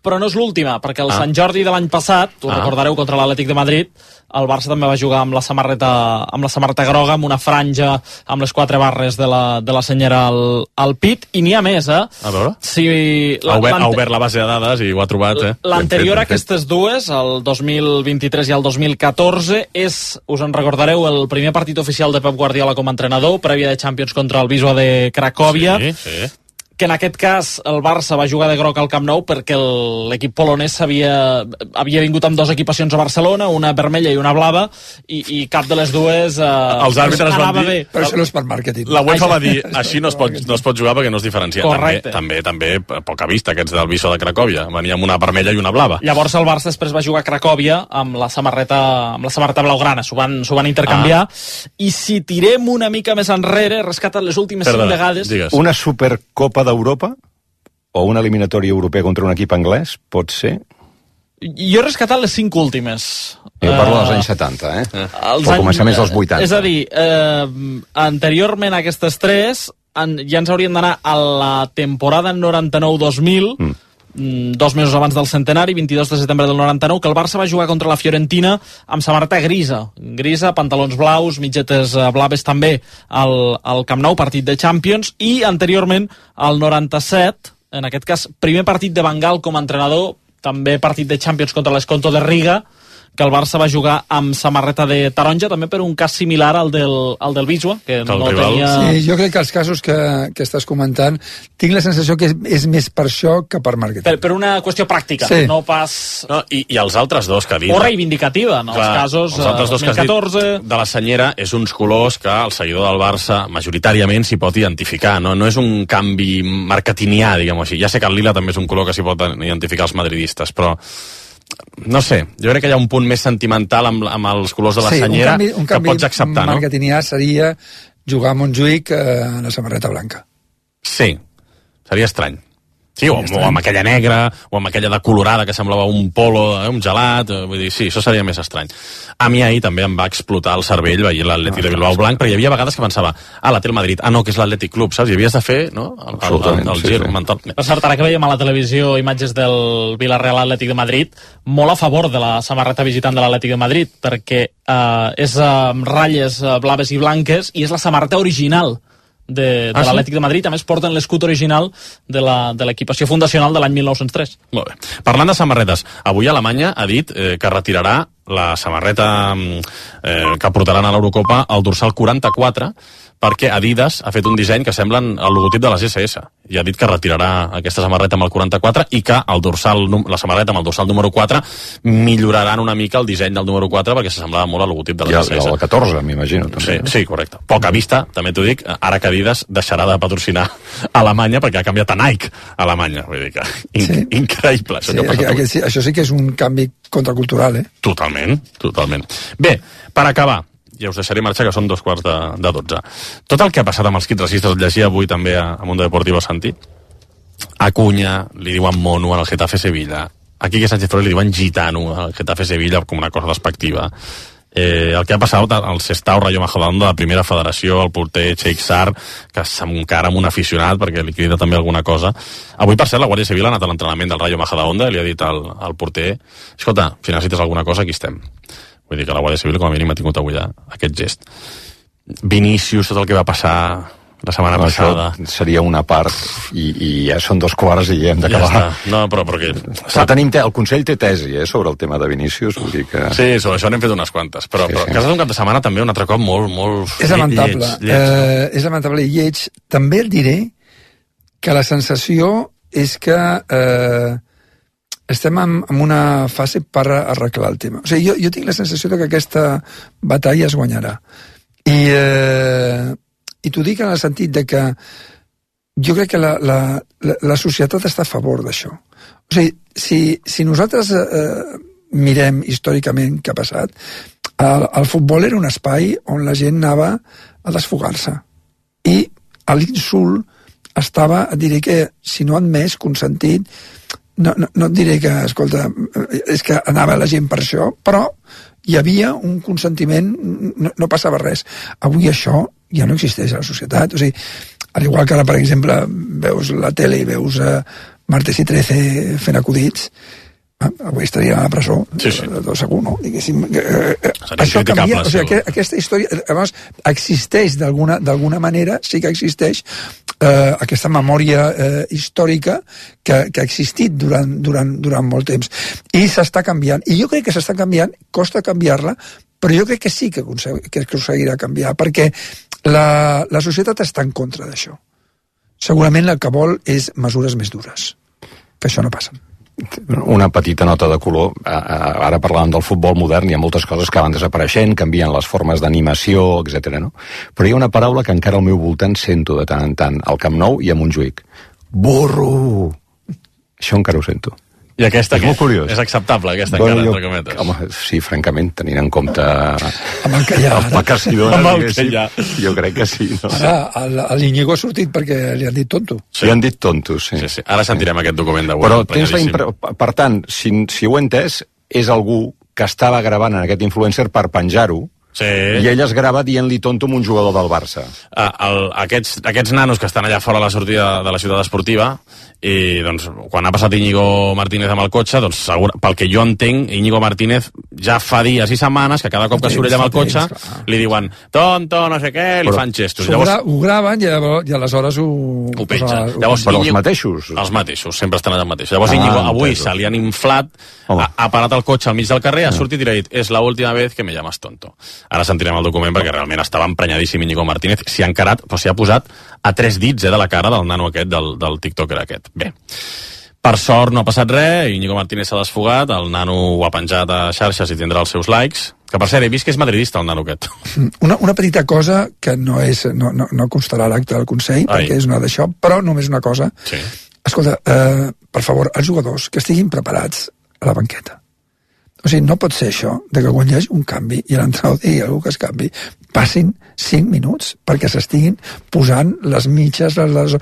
Però no és l'última, perquè el ah. Sant Jordi de l'any passat, ho ah. recordareu, contra l'Atlètic de Madrid, el Barça també va jugar amb la samarreta amb la samarreta groga, amb una franja amb les quatre barres de la, de la senyera al, al pit, i n'hi ha més, eh? A veure? Si ha, obert, ha obert la base de dades i ho ha trobat, eh? L'anterior a aquestes dues, el dos mil vint-i-tres i el dos mil catorze, és, us en recordareu, el primer partit oficial de Pep Guardiola com a entrenador, prèvia de Champions contra el Wisła de Cracòvia. Sí, sí. Que en aquest cas el Barça va jugar de groc al Camp Nou perquè l'equip polonès havia, havia vingut amb dues equipacions a Barcelona, una vermella i una blava, i, i cap de les dues eh, els àrbitres van dir... bé. Però això no és per màrqueting. La UEFA va dir, així no es pot, no es pot jugar perquè no es diferencia. Correcte. També, també, també poca vista, aquests del Wisła de Cracòvia. Venia amb una vermella i una blava. Llavors el Barça després va jugar a Cracòvia amb la samarreta, amb la samarreta blaugrana, s'ho van, s'ho van intercanviar, ah. i si tirem una mica més enrere, rescaten les últimes Perdona, cinc vegades... Digues. Una Supercopa d'Europa o una eliminatòria europea contra un equip anglès, pot ser? Jo he rescatat les cinc últimes. Jo parlo dels anys setanta, eh? Els o començaments dels vuitanta. És a dir, eh, anteriorment a aquestes tres, en, ja ens hauríem d'anar a la temporada noranta-nou dos mil, mm. dos mesos abans del centenari, vint-i-dos de setembre del noranta-nou, que el Barça va jugar contra la Fiorentina amb samarreta grisa. Grisa, pantalons blaus, mitgetes blaves també al, al Camp Nou, partit de Champions, i anteriorment, al noranta-set, en aquest cas, primer partit de Van Gaal com a entrenador, també partit de Champions contra l'Esconto de Riga, que el Barça va jugar amb samarreta de taronja, també per un cas similar al del, al del Wisła, que el no rival. tenia... Sí, jo crec que els casos que, que estàs comentant, tinc la sensació que és, és més per això que per màrqueting. Per, per una qüestió pràctica, sí. no pas... No, i, I els altres dos que ha dit... O reivindicativa, en els casos els altres dos dos mil catorze... que has dit de la senyera és uns colors que el seguidor del Barça majoritàriament s'hi pot identificar, no? No és un canvi marketingià, diguem-ho així. Ja sé que el lila també és un color que s'hi pot identificar els madridistes, però... No sé, jo crec que hi ha un punt més sentimental amb, amb els colors de la sí, senyera un canvi, un canvi que pots acceptar, no? marketingià seria jugar a Montjuïc eh, en la samarreta blanca. Sí, seria estrany. Sí, o, o amb aquella negra, o amb aquella de colorada que semblava un polo, eh, un gelat, eh, vull dir, sí, això seria més estrany. A mi ahir també em va explotar el cervell veient l'Atlètic no, de Bilbao blanc, perquè hi havia vegades que pensava, ah, la té el Madrid, ah, no, que és l'Atlètic Club, saps? I havies de fer, no?, el, el, el, el sí, gir sí. mental. Per cert, ara que veiem a la televisió imatges del Villarreal Atlètic de Madrid, molt a favor de la samarreta visitant de l'Atlètic de Madrid, perquè eh, és amb eh, ratlles eh, blaves i blanques, i és la samarreta original de, de Ah, sí? l'Atlètic de Madrid. A més, porten l'escut original de la- de l'equipació fundacional de l'any mil nou-cents tres. Molt bé. Parlant de samarretes, avui Alemanya ha dit eh, que retirarà la samarreta eh, que portaran a l'Eurocopa al dorsal quaranta-quatre, perquè Adidas ha fet un disseny que semblen el logotip de les esse esse i ha dit que retirarà aquesta samarreta amb el quaranta-quatre i que el dorsal, la samarreta amb el dorsal número quatre milloraran una mica el disseny del número quatre perquè s'assemblava molt al logotip de les I el, esse esse. el catorze, m'imagino. També, Sí, no? sí, correcte. Poca vista, també t'ho dic, ara que Adidas deixarà de patrocinar Alemanya perquè ha canviat a Nike a Alemanya. Vull dir que in Sí. increïble. Això, Sí, que ha passat aquest, avui. aquest, sí, això sí que és un canvi contracultural, eh? Totalment, totalment. Bé, per acabar, ja us deixaré marxar, que són dos quarts de, de dotze. Tot el que ha passat amb els kits racistes, el llegia avui també a, a Mundo Deportivo Santi. A Cunha li diuen mono al Getafe Sevilla. A Quique Sánchez Flores li diuen gitano al Getafe Sevilla com una cosa despectiva. Eh, el que ha passat al Sestao Rayo Majadahonda de la primera federació, el porter Sheikh Sar, que s'encara amb un aficionat perquè li crida també alguna cosa. Avui, per cert, la Guàrdia Civil ha anat a l'entrenament del Rayo Majadahonda i li ha dit al, al porter: escolta, si necessites alguna cosa, aquí estem. Vull dir que la Guàrdia Civil com a mínim ha tingut avui aquest gest. Vinícius, tot el que va passar la setmana No, passada. això seria una part i, i ja són dos quarts i ja hem Ja d'acabar. està. No, però, però que... Però tenim te el Consell té tesi eh, sobre el tema de Vinícius, vull dir que... Sí, sobre això n'hem fet unes quantes, però, Sí, però sí. que ha estat un cap de setmana també un altre cop molt, molt... És lamentable. Lleig, lleig. Eh, és lamentable i lleig. També et diré que la sensació és que eh, estem en, en una fase per arreglar el tema. O sigui, jo, jo tinc la sensació de que aquesta batalla es guanyarà. I, eh, i t'ho dic en el sentit de que jo crec que la, la, la, la societat està a favor d'això. O sigui, si, si nosaltres eh, mirem històricament què ha passat, el, el futbol era un espai on la gent anava a desfogar-se. I l'insult estava, et diré que, si no admès, consentit, no, no, no et diré que, escolta, és que anava la gent per això, però hi havia un consentiment, no, no passava res. Avui això ja no existeix a la societat. O sigui, al igual que ara, per exemple, veus la tele i veus eh, Martes i Trece fent acudits, eh, avui estaria a la presó, Sí, sí. de, de segur, no? Diguéssim, eh, eh, Seria això criticable, canvia, o sigui, segur. que, aquesta història, además, existeix d'alguna d'alguna manera, sí que existeix eh, aquesta memòria eh, històrica que, que ha existit durant, durant, durant molt temps. I s'està canviant. I jo crec que s'està canviant, costa canviar-la, però jo crec que sí que, consegui, que aconseguirà canviar, perquè la, la societat està en contra d'això. Segurament el que vol és mesures més dures, que això no passa. Una petita nota de color. Ara parlàvem del futbol modern, hi ha moltes coses que van desapareixent, canvien les formes d'animació, etcètera. No? Però hi ha una paraula que encara al meu voltant sento de tant en tant, al Camp Nou i a Montjuïc. Burro! Això encara ho sento. I aquesta és què? molt curiós. És acceptable, aquesta Bueno, encara, jo- entre cometes. Home, sí, francament, tenint en compte Amb el que hi ha el ara. pa que s'hi dona, Amb el que diguéssim, hi ha. jo crec que sí. No? Ara, el, el Íñigo ha sortit perquè li han dit tonto. Sí. Li han dit tontos, sí. Sí, sí. Ara sentirem aquest document d'avui. Però tens la emprenyadíssim. impre... Per tant, si, si ho he entès, és algú que estava gravant en aquest influencer per penjar-ho, Sí. i ell es grava dient-li tonto a un jugador del Barça. Uh, el, aquests, aquests nanos que estan allà fora a la sortida de la ciutat esportiva, i doncs quan ha passat Íñigo Martínez amb el cotxe, doncs segur, pel que jo entenc, Íñigo Martínez ja fa dies i setmanes que cada cop que surt ell amb el cotxe li diuen tonto, no sé què, li Però fan gestos. Ho, Llavors, gra ho graven i, llavors, i aleshores ho... ho penja. ho- Llavors, Però els Íñigo- mateixos. Els mateixos, sempre estan allà mateixos. Llavors Ah, Íñigo avui entesos. se li han inflat, Home. ha, ha parat el cotxe al mig del carrer, ha sortit i li ha dit és l'última vez que me llamas tonto. Ara sentirem el document perquè realment estava emprenyadíssim Íñigo Martínez. S'hi ha encarat, però s'hi ha posat a tres dits eh, de la cara del nano aquest, del, del tiktoker aquest. Bé, per sort no ha passat res, Íñigo Martínez s'ha desfogat, el nano ho ha penjat a xarxes i tindrà els seus likes, que per cert he vist que és madridista el nano aquest. Una, una petita cosa que no, és, no, no, no constarà a l'acte del Consell, Ai. perquè és una d'això, però només una cosa. Sí. Escolta, eh, per favor, els jugadors que estiguin preparats a la banqueta. O sigui, no pot ser això, de que quan hi hagi un canvi i l'entrenador digui algú que es canvi, passin cinc minuts perquè s'estiguin posant les mitges, les, les,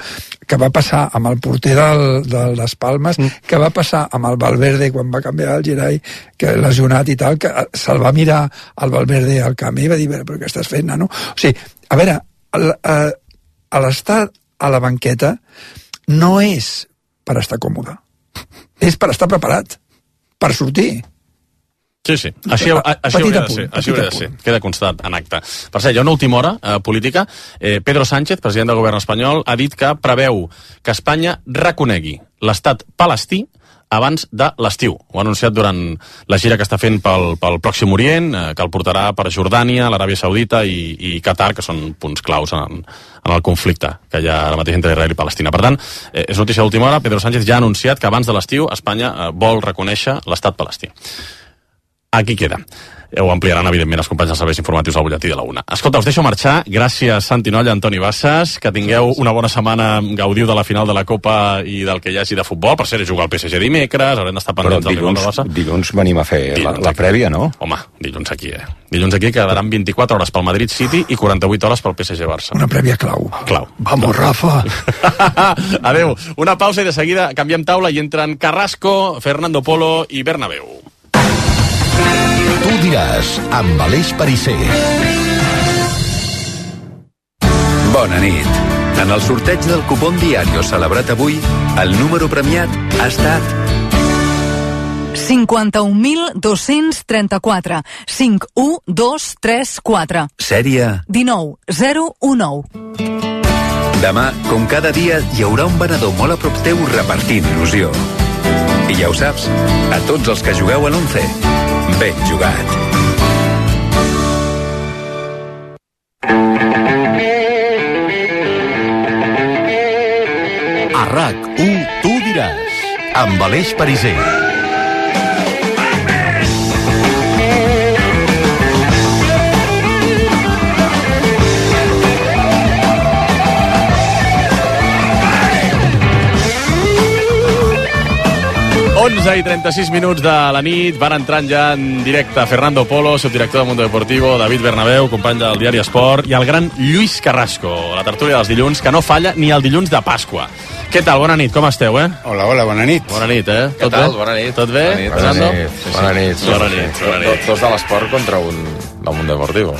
que va passar amb el porter del, de les Palmes, mm. que va passar amb el Valverde quan va canviar el Gerai, que lesionat i tal, que se'l va mirar al Valverde al camp i va dir, però què estàs fent, nano? O sigui, a veure, el, eh, a l'estar a la banqueta no és per estar còmode, és per estar preparat, per sortir. Sí, sí. Així, a, així hauria de ser. Així hauria de ser. Queda constat en acte. Per cert, hi ha una última hora eh, política. Eh, Pedro Sánchez, president del govern espanyol, ha dit que preveu que Espanya reconegui l'estat palestí abans de l'estiu. Ho ha anunciat durant la gira que està fent pel, pel Pròxim Orient, eh, que el portarà per Jordània, l'Aràbia Saudita i, i Qatar, que són punts claus en, en el conflicte que hi ha ara mateix entre Israel i Palestina. Per tant, eh, és notícia d'última hora. Pedro Sánchez ja ha anunciat que abans de l'estiu Espanya eh, vol reconèixer l'estat palestí. Aquí queda. Ho ampliaran, evidentment, els companys dels serveis informatius al butlletí de la una. Escolta, us deixo marxar. Gràcies, Santi Nolla, Antoni Bassas. Que tingueu una bona setmana. Gaudiu de la final de la Copa i del que hi hagi de futbol. Per cert, jugar al P S G dimecres. Haurem d'estar pendents del rival de Barça. Dilluns venim a fer la, la prèvia, no? Home, dilluns aquí, eh? Dilluns aquí quedaran vint-i-quatre hores pel Madrid City i quaranta-vuit hores pel P S G Barça. Una prèvia clau. Clau. Vamos, Rafa. Adéu. Una pausa i de seguida canviem taula i entren Carrasco, Fernando Polo i Bernabéu. Tu diràs, amb Aleix Pariser. Bona nit. En el sorteig del cupón Diario celebrat avui, el número premiat ha estat cinquanta-un mil dos-cents trenta-quatre. cinc u dos tres quatre. Sèrie dinou zero u nou. Demà, com cada dia, hi haurà un venedor molt a prop teu repartint il·lusió. I ja ho saps, a tots els que jugueu a l'once, ben jugat. A RAC u, tu diràs, amb Aleix Pariser. onze i trenta-sis minuts de la nit, van entrant ja en directe Fernando Polo, subdirector del Mundo Deportivo, David Bernabéu, company del diari Esport, i el gran Lluís Carrasco, la tertúlia dels dilluns, que no falla ni el dilluns de Pasqua. Què tal? Bona nit, com esteu, eh? Hola, hola, bona nit. Bona nit, eh? Què Tot tal? Bé? Bona nit. Tot bé? Bona nit. Fernando? Bona nit. Sí, bona nit. Bona nit. Bona nit. Dos de l'esport contra un del Mundo Deportivo.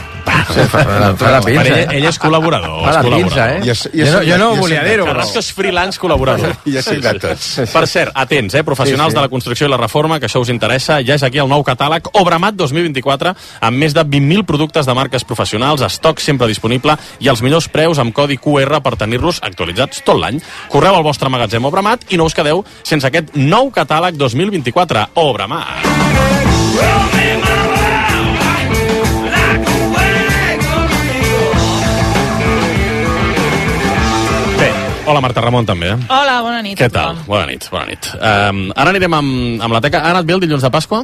Sí, fa la pinça, ell, ell és col·laborador. Fa la pinça, eh? Jo, jo, jo, jo no ho volia dir-ho. Carrasco és freelance col·laborador. Jo soc de tots. Per cert, atents, eh? Professionals Sí, sí. de la construcció i la reforma, que això us interessa, ja és aquí el nou catàleg Obramat dos mil vint-i-quatre, amb més de vint mil productes de marques professionals, estoc sempre disponible i els millors preus amb codi Q R per tenir-los actualitzats tot l'any. Correu al vostre magatzem Obramat i no us quedeu sense aquest nou catàleg dos mil vint-i-quatre. Obramat. Hola, Marta Ramon, també. Eh? Hola, bona nit. Què tal? Bona nit, bona nit. Um, ara anirem amb, amb la teca. Ha anat bé el dilluns de Pasqua?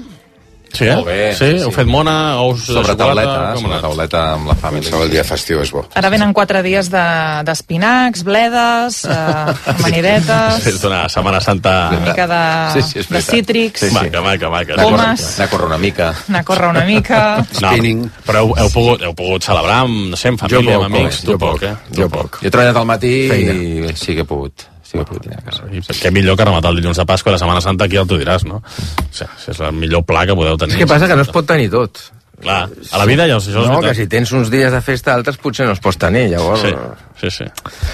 Sí, eh? Molt bé. Sí? sí. Heu fet mona, ous de sobre xocolata? tauleta, sobre tauleta amb la família. El dia festiu és bo. Ara venen quatre dies d'espinacs, de, bledes, eh, amanidetes... És una Setmana Santa... Una mica de, sí, sí, de cítrics... Sí, sí. Maca, maca, maca. Pomes... Anar a córrer una mica. Anar a córrer una mica... No, però heu, heu, pogut, heu pogut celebrar amb, no sé, amb família, poc, amb amics? Jo poc, eh? Jo poc. Jo he treballat al matí Feina. i sí que he pogut... Sí que puc tenir a casa. Què millor que rematar el dilluns de Pasqua i la Setmana Santa, aquí ja t'ho diràs, no? O sigui, és el millor pla que podeu tenir. És que passa que no es pot tenir tot. Clar, a la vida ja... Això no, que si tens uns dies de festa, altres potser no els pots tenir, llavors... Sí, sí, sí.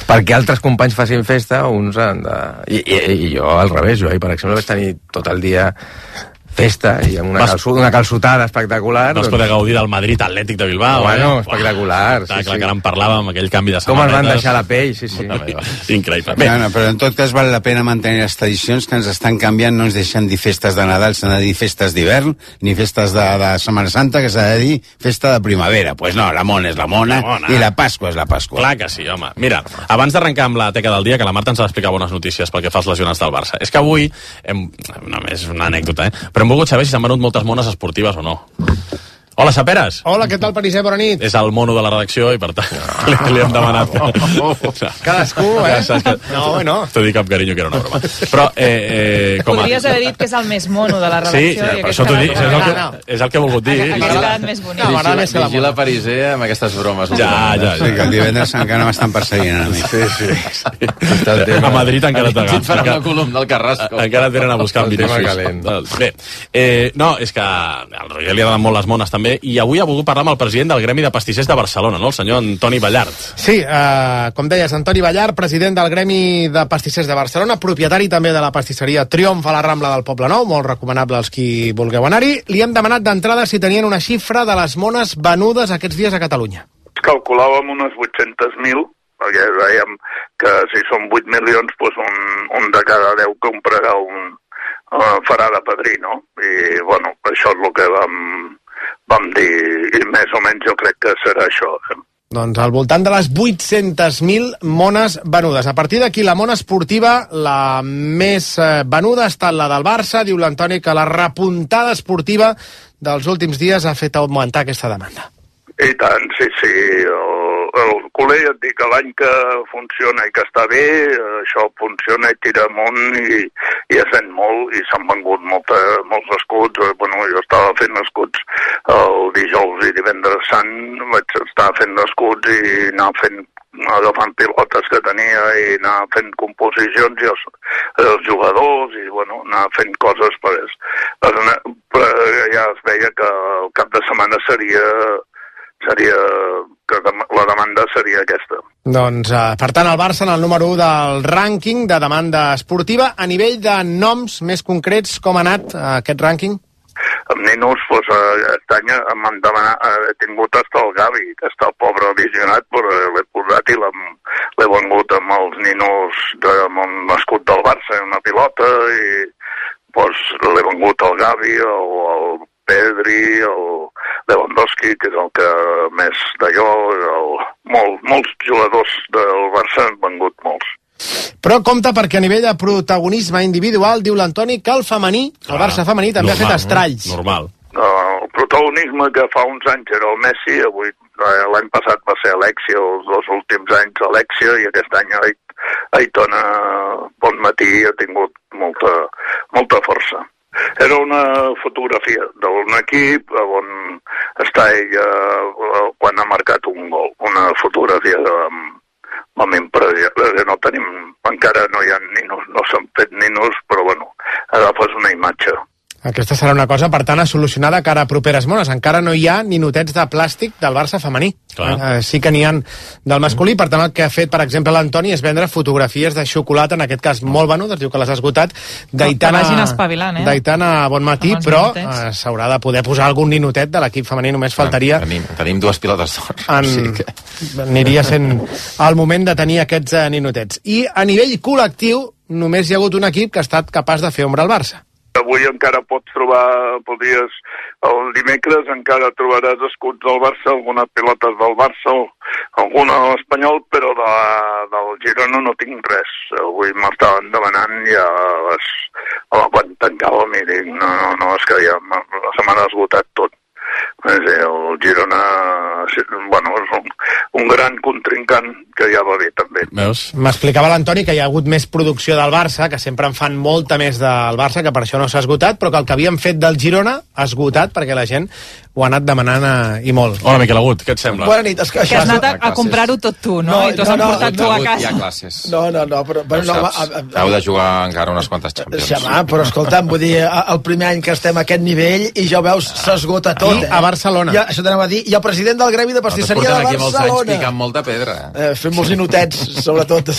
Perquè altres companys facin festa, uns han de... I, i, i jo al revés, jo ahir, per exemple, vaig tenir tot el dia festa i amb una, Vas... calçut, una calçotada espectacular. Vas poder gaudir del Madrid Atlètic de Bilbao. Bueno, eh? espectacular. Uah, sí, clar, sí. que ara en parlàvem, aquell canvi de Com samarretes. ens van deixar la pell, sí, sí. Increïble. Bé. No, no, però en tot cas val la pena mantenir les tradicions que ens estan canviant, no ens deixen dir festes de Nadal, s'han de dir festes d'hivern, ni festes de, de Setmana Santa, que s'ha de dir festa de primavera. Pues no, la mona és la mona, la mona i la Pasqua és la Pasqua. Clar que sí, home. Mira, abans d'arrencar amb la teca del dia, que la Marta ens ha d'explicar bones notícies pel que fa als lesionats del Barça. És que avui, hem, només una anècdota, eh? Però hem volgut saber si s'han venut moltes mones esportives o no. Hola, Saperes. Hola, què tal, Pariser? Bona nit. És el mono de la redacció i, per tant, li, li hem demanat... No, no, no. Cadascú, eh? Que... No, bueno. T'ho dic amb carinyo, que era una broma. Però, eh, eh, com a... Podries haver dit que és el més mono de la redacció. Sí, per això t'ho dic, és el, que, és el que he volgut dir. Hagués quedat més bonic. No, vigila, més vigila Pariser amb aquestes bromes. Ja, ja, ja. Sí, que el divendres encara m'estan perseguint a mi. Sí, sí. sí. A Madrid encara t'agafes. Et farà una columna del Carrasco. Encara et venen a buscar amb Vinícius. Bé, eh, no, és que al Roger li agraden molt les mones també, també, i avui ha volgut parlar amb el president del Gremi de Pastissers de Barcelona, no? El senyor Antoni Ballart. Sí, eh, com deies, Antoni Ballart, president del Gremi de Pastissers de Barcelona, propietari també de la pastisseria Triomf a la Rambla del Poble Nou, molt recomanable als qui vulgueu anar-hi. Li hem demanat d'entrada si tenien una xifra de les mones venudes aquests dies a Catalunya. Calculàvem unes vuit-centes mil, perquè veiem que si són vuit milions, doncs un, un de cada deu comprarà un, uh, farà de padrí, no? I, bueno, això és el que vam, vam dir, i més o menys jo crec que serà això. Eh? Doncs al voltant de les vuit-centes mil mones venudes. A partir d'aquí, la mona esportiva, la més eh, venuda ha estat la del Barça. Diu l'Antoni que la repuntada esportiva dels últims dies ha fet augmentar aquesta demanda. I tant, sí, sí. El, el culer, ja et dic, l'any que funciona i que està bé, això funciona i tira amunt i, i es ven molt, i s'han vengut molta, molts escuts. Bueno, jo estava fent escuts el dijous i divendres sant, vaig estar fent escuts i anar fent agafant pilotes que tenia i anar fent composicions i els, els jugadors i bueno, anar fent coses per, per, per ja es veia que el cap de setmana seria seria que la demanda seria aquesta. Doncs, eh, per tant, el Barça en el número u del rànquing de demanda esportiva. A nivell de noms més concrets, com ha anat eh, aquest rànquing? Amb ninos, doncs, aquest any m'han demanat, he tingut hasta el Gavi, que està el pobre aficionat, però l'he posat i l'he vengut amb els ninos de, amb un escut del Barça, una pilota, i doncs, l'he vengut al Gavi, el, el Pedri, el Lewandowski, que és el que més d'allò, el, molt, molts jugadors del Barça han vengut molts. Però compte perquè a nivell de protagonisme individual, diu l'Antoni, que el femení, el Barça femení, també normal, ha fet estralls. Normal. El protagonisme que fa uns anys era el Messi, avui l'any passat va ser Alexia, els dos últims anys Alexia, i aquest any Aitona Bonmatí ha tingut molta, molta força. Era una fotografia d'un equip on està ella quan ha marcat un gol. Una fotografia amb amb impressió. No tenim, encara no hi ha ninos, no s'han fet ninos, però bueno, agafes una imatge. Aquesta serà una cosa, per tant, a solucionar de cara a properes mones. Encara no hi ha ninotets de plàstic del Barça femení. Eh, sí que n'hi ha del masculí. Per tant, el que ha fet, per exemple, l'Antoni és vendre fotografies de xocolata, en aquest cas molt venudes, diu que les ha esgotat, d'Aitana eh? d'Aitana Bonmatí, però eh, s'haurà de poder posar algun ninotet de l'equip femení, només faltaria... Tenim, tenim dues pilotes d'or. En... Sí que... Aniria sent el moment de tenir aquests eh, ninotets. I a nivell col·lectiu, només hi ha hagut un equip que ha estat capaç de fer ombra al Barça. Avui encara pots trobar, podries, el dimecres encara trobaràs escuts del Barça, algunes pilotes del Barça, alguna de l'Espanyol, però de, del Girona no tinc res. Avui m'estaven demanant ja les, quan tancàvem i dic, no, no, no, és que ja la setmana ha esgotat tot. El Girona, bueno, és un, un gran contrincant que ja va bé també. M'explicava l'Antoni que hi ha hagut més producció del Barça, que sempre en fan molta més del Barça, que per això no s'ha esgotat, però que el que havien fet del Girona ha esgotat perquè la gent ho ha anat demanant eh, i molt. Hola, Miquel Agut, què et sembla? Bona nit. Es, que has anat a, a comprar-ho tot tu, no? no I t'ho has no, emportat no, tu no, a casa. Hi ha classes. No, no, no, però... però no, no a, a, Heu de jugar encara unes quantes Champions. Xamà, però escolta'm, vull dir, el primer any que estem a aquest nivell i ja ho veus, s'esgota tot. I a Barcelona. Ja, això t'anava a dir. I el president del Gremi de Pastisseria de Barcelona. Aquí molts anys Barcelona. picant molta pedra. Eh, fent molts ninotets, sobretot,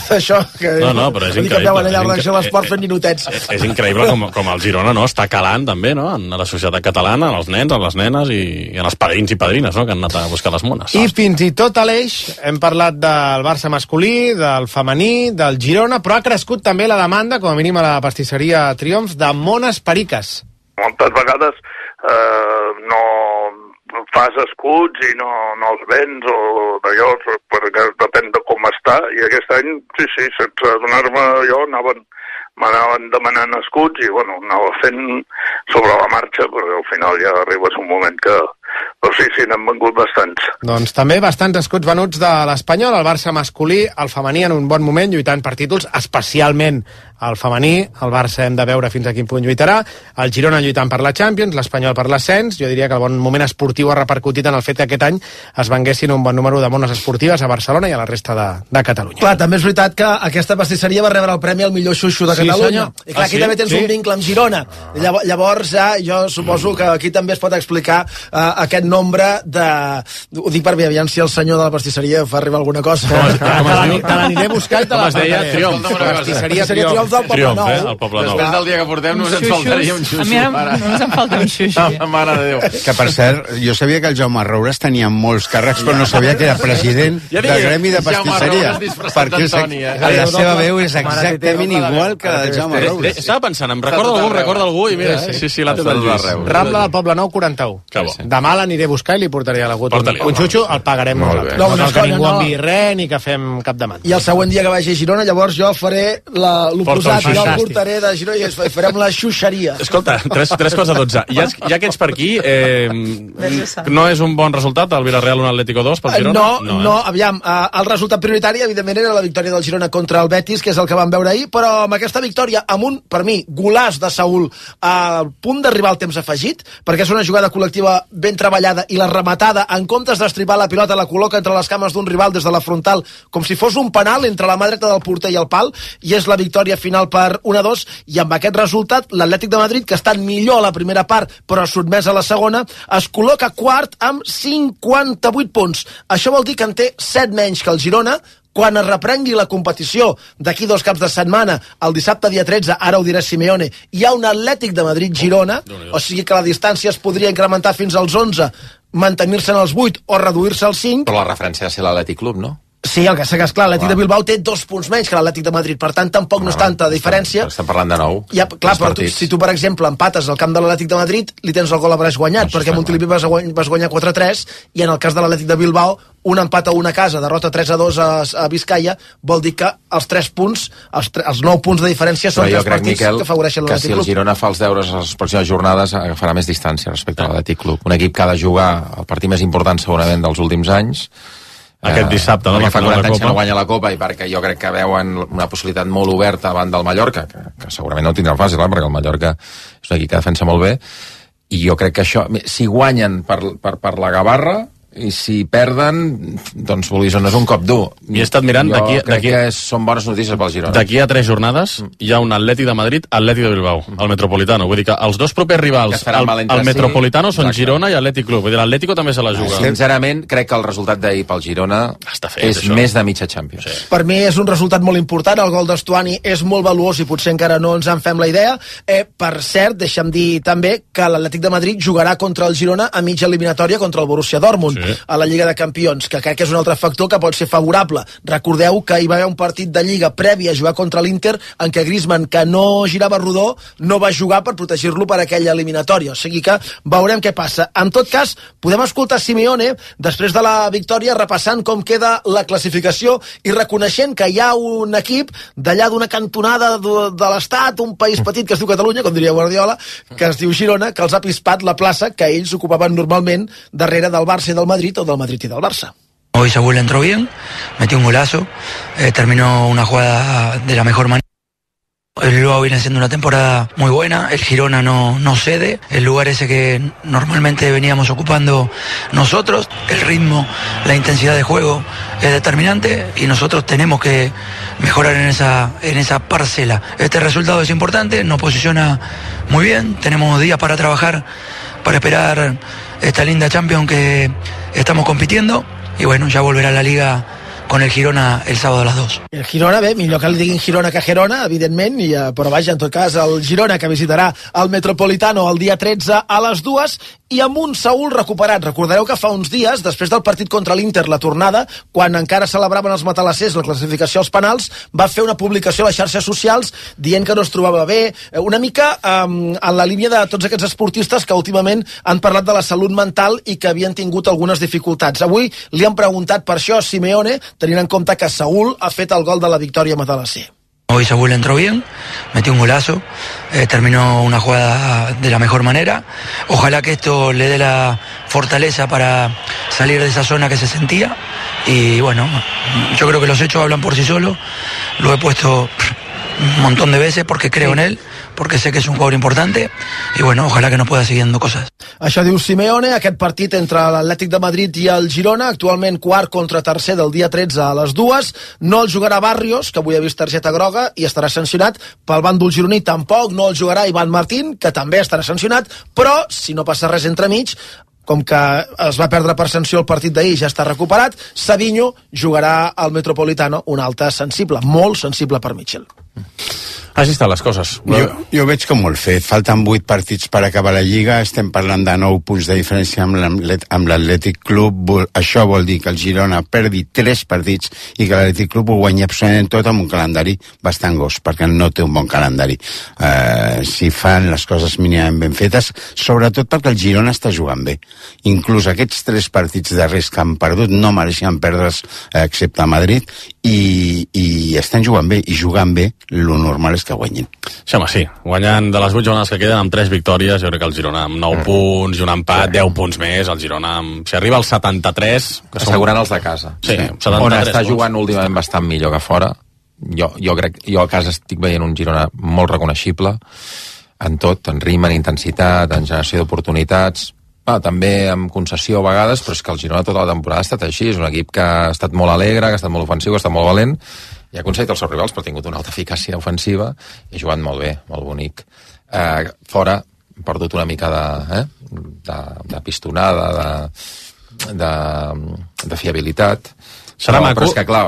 d'això. Que, no, no, però és increïble. Que veuen allà a la redacció de l'esport fent ninotets. És, és increïble com, com el Girona, no?, està calant també, no?, en la societat catalana, en els nens, en les nenes i, i en els padrins i padrines, no?, que han anat a buscar les mones. I fins i tot a l'eix hem parlat del Barça masculí, del femení, del Girona, però ha crescut també la demanda, com a mínim a la pastisseria Triomf, de mones periques. Moltes vegades eh, no fas escuts i no, no els vens o d'allò, perquè depèn de com està, i aquest any, sí, sí, sense donar-me allò, anaven m'anaven demanant escuts i, bueno, anava fent sobre la marxa, però al final ja arribes un moment que... Però sí, sí, n'han vengut bastants. Doncs també bastants escuts venuts de l'Espanyol, el Barça masculí, el femení en un bon moment, lluitant per títols, especialment el femení, el Barça hem de veure fins a quin punt lluitarà, el Girona lluitant per la Champions, l'Espanyol per l'ascens. Jo diria que el bon moment esportiu ha repercutit en el fet que aquest any es venguessin un bon número de mones esportives a Barcelona i a la resta de, de Catalunya. Clar, també és veritat que aquesta pastisseria va rebre el premi al millor xuxo de sí, Catalunya. Senyor. I clar, ah, aquí sí? també tens sí? un vincle amb Girona. Ah. Llavors, ja, jo suposo que aquí també es pot explicar uh, aquest nombre de... Ho dic per bé, aviam si el senyor de la pastisseria fa arribar alguna cosa. Te l'aniré a buscar i te la com es deia? Triomf. Pastisseria Triomf del Poble Triomf, Nou. eh? El Poble Nou. Després del dia que portem només ens faltaria un xuxo. A mi ara només em falta un xuxo. Mare de Déu. Que, per cert, jo sabia que el Jaume Roures tenia molts càrrecs, però no sabia que era president Ja del dic, gremi de Jaume pastisseria. Roures disfressat Perquè d'Antoni, eh? la seva veu és exactament igual que la del Jaume Roures. Estava pensant, em recorda algú, recorda algú, i mira, sí, sí, sí, l'ha tot arreu. Rambla del Poble Nou, quaranta-u. Demà l'aniré a buscar i li portaré a la Guto. Un xutxo el pagarem nosaltres. No, No una cal que cosa, ningú no. enviï res ni que fem cap demanda. I el següent dia que vagi a Girona, llavors jo faré la- l'oposat, Porta un jo el xuxàstic. portaré de Girona i es- farem la xuxeria. Escolta, tres, tres quarts de dotze. Ja, ja que ets per aquí, eh, no és un bon resultat el Villarreal un Atlético dos pel Girona? No, no, eh? no, aviam, eh, el resultat prioritari evidentment era la victòria del Girona contra el Betis, que és el que vam veure ahir, però amb aquesta victòria, amb un, per mi, golàs de Saúl a punt d'arribar al temps afegit, perquè és una jugada col·lectiva ben treballada i la rematada, en comptes d'estripar la pilota, la col·loca entre les cames d'un rival des de la frontal, com si fos un penal entre la mà dreta del porter i el pal, i és la victòria final per un a dos, i amb aquest resultat, l'Atlètic de Madrid, que està millor a la primera part, però sotmès a la segona, es col·loca quart amb cinquanta-vuit punts. Això vol dir que en té set menys que el Girona. Quan es reprengui la competició d'aquí dos caps de setmana, el dissabte dia tretze, ara ho dirà Simeone, hi ha un Atlètic de Madrid-Girona, o sigui que la distància es podria incrementar fins als onze, mantenir-se en els vuit o reduir-se als cinc. Però la referència ha de ser l'Atlètic Club, no? Sí, el que sé que és clar, l'Atlètic de Bilbao té dos punts menys que l'Atlètic de Madrid, per tant tampoc no és tanta diferència. Estem parlant de nou. Ja, clar, però tu, si tu, per exemple, empates al camp de l'Atlètic de Madrid, li tens el gol a braç guanyat, perquè a Montilivi vas, guany, vas guanyar quatre a tres, i en el cas de l'Atlètic de Bilbao, un empat a una casa, derrota tres a dos a, a Vizcaya, vol dir que els tres punts, els, tre, els nou punts de diferència són Però jo tres crec, partits Miquel, que afavoreixen que l'Atlètic si el Club. Girona fa els deures a les pròximes jornades agafarà més distància respecte a l'Atlètic Club. Un equip que ha de jugar el partit més important segurament dels últims anys. Aquest dissabte, no? Perquè fa La final de quaranta anys que Copa. no guanya la Copa i perquè jo crec que veuen una possibilitat molt oberta davant del Mallorca, que, que segurament no ho tindran fàcil, eh? Perquè el Mallorca és un equip que defensa molt bé, i jo crec que això, si guanyen per, per, per la Gavarra, i si perden, doncs vulguis o no és un cop dur. I he estat mirant jo d'aquí- crec d'aquí- que és, són bones notícies pel Girona. D'aquí a tres jornades hi ha un Atlètic de Madrid, Atlètic de Bilbao, el Metropolitano. Vull dir que els dos propers Que rivals es faran al, mal entre al Metropolitano si. són Exacte. Girona i Atlètic Club. Vull dir, l'Atlético també se la juga. Sincerament, crec que el resultat d'ahir pel Girona fet, és això. més de mitja Champions. Sí. Per mi és un resultat molt important, el gol d'Estuani és molt valuós i potser encara no ens en fem la idea. Eh, per cert, deixa'm dir també que l'Atlètic de Madrid jugarà contra el Girona a mitja eliminatòria contra el Borussia Dortmund, sí, a la Lliga de Campions, que crec que és un altre factor que pot ser favorable. Recordeu que hi va haver un partit de Lliga previ a jugar contra l'Inter en què Griezmann, que no girava rodó, no va jugar per protegir-lo per aquella eliminatòria. O sigui que veurem què passa. En tot cas, podem escoltar Simeone després de la victòria repassant com queda la classificació i reconeixent que hi ha un equip d'allà d'una cantonada de, de l'Estat, un país petit que es diu Catalunya, com diria Guardiola, que es diu Girona, que els ha pispat la plaça que ells ocupaven normalment darrere del Barça i del Madrid o del Madrid i del Barça. Hoy Saúl entró bien, metió un golazo, eh, terminó una jugada de la mejor manera. El Bilbao viene haciendo una temporada muy buena, el Girona no, no cede, el lugar ese que normalmente veníamos ocupando nosotros, el ritmo, la intensidad de juego es determinante y nosotros tenemos que mejorar en esa, en esa parcela. Este resultado es importante, nos posiciona muy bien, tenemos días para trabajar, para esperar esta linda Champions que estamos compitiendo. I bueno, ja volverà la Liga con el Girona el sábado a les dos. El Girona, bé, millor que li diguin Girona que Gerona, evidentment, i, eh, però vaja, en tot cas, el Girona que visitarà el Metropolitano el dia tretze a les dues i amb un Saúl recuperat. Recordareu que fa uns dies, després del partit contra l'Inter, la tornada, quan encara celebraven els matalassers la classificació als penals, va fer una publicació a les xarxes socials dient que no es trobava bé, una mica eh, en la línia de tots aquests esportistes que últimament han parlat de la salut mental i que havien tingut algunes dificultats. Avui li han preguntat per això a Simeone, tenint en compte que Saúl ha fet el gol de la victòria a Matalasser. Hoy Saúl entró bien, metió un golazo, eh, terminó una jugada de la mejor manera. Ojalá que esto le dé la fortaleza para salir de esa zona que se sentía. Y bueno, yo creo que los hechos hablan por sí solos. Lo he puesto un montón de veces porque creo en él, porque sé que es un jugador importante y bueno, ojalá que nos pueda siguiendo cosas. Això diu Simeone, aquest partit entre l'Atlètic de Madrid i el Girona, actualment quart contra tercer del dia tretze a les dues, no el jugarà Barrios, que avui ha vist targeta groga i estarà sancionat, pel bàndol gironí tampoc no el jugarà Ivan Martín, que també estarà sancionat, però si no passa res entremig, com que es va perdre per sanció el partit d'ahir, ja està recuperat. Savinho jugarà al Metropolitano, un alta sensible, molt sensible per Mitchell. Així estan les coses. Jo, jo veig com molt fet. Falten vuit partits per acabar la Lliga. Estem parlant de nou punts de diferència amb l'Atlètic Club. Això vol dir que el Girona perdi tres partits i que l'Atlètic Club ho guanyi absolutament tot amb un calendari bastant gos, perquè no té un bon calendari. Uh, si fan les coses mínimament ben fetes, sobretot perquè el Girona està jugant bé. Inclús aquests tres partits darrers que han perdut no mereixen perdre's, excepte a Madrid, i, i estan jugant bé, i jugant bé, lo normal és que guanyin. Sí, home, sí. Guanyant de les vuit jornades que queden amb tres victòries, jo crec que el Girona amb nou mm. punts i un empat, sí. deu punts més, el Girona amb... Si arriba als setanta-tres... Que assegurant som... els de casa. Sí, sí. setanta-tres on està punts. Jugant últimament bastant millor que fora. Jo, jo crec, jo a casa estic veient un Girona molt reconeixible en tot, en ritme, en intensitat, en generació d'oportunitats, ah, també amb concessió a vegades, però és que el Girona tota la temporada ha estat així, és un equip que ha estat molt alegre, que ha estat molt ofensiu, que ha estat molt valent, i ha aconseguit els seus rivals, però ha tingut una alta eficàcia ofensiva i ha jugat molt bé, molt bonic. Eh, fora, ha perdut una mica de, eh, de, de pistonada, de, de, de fiabilitat. Serà però, maco... però és que, clar,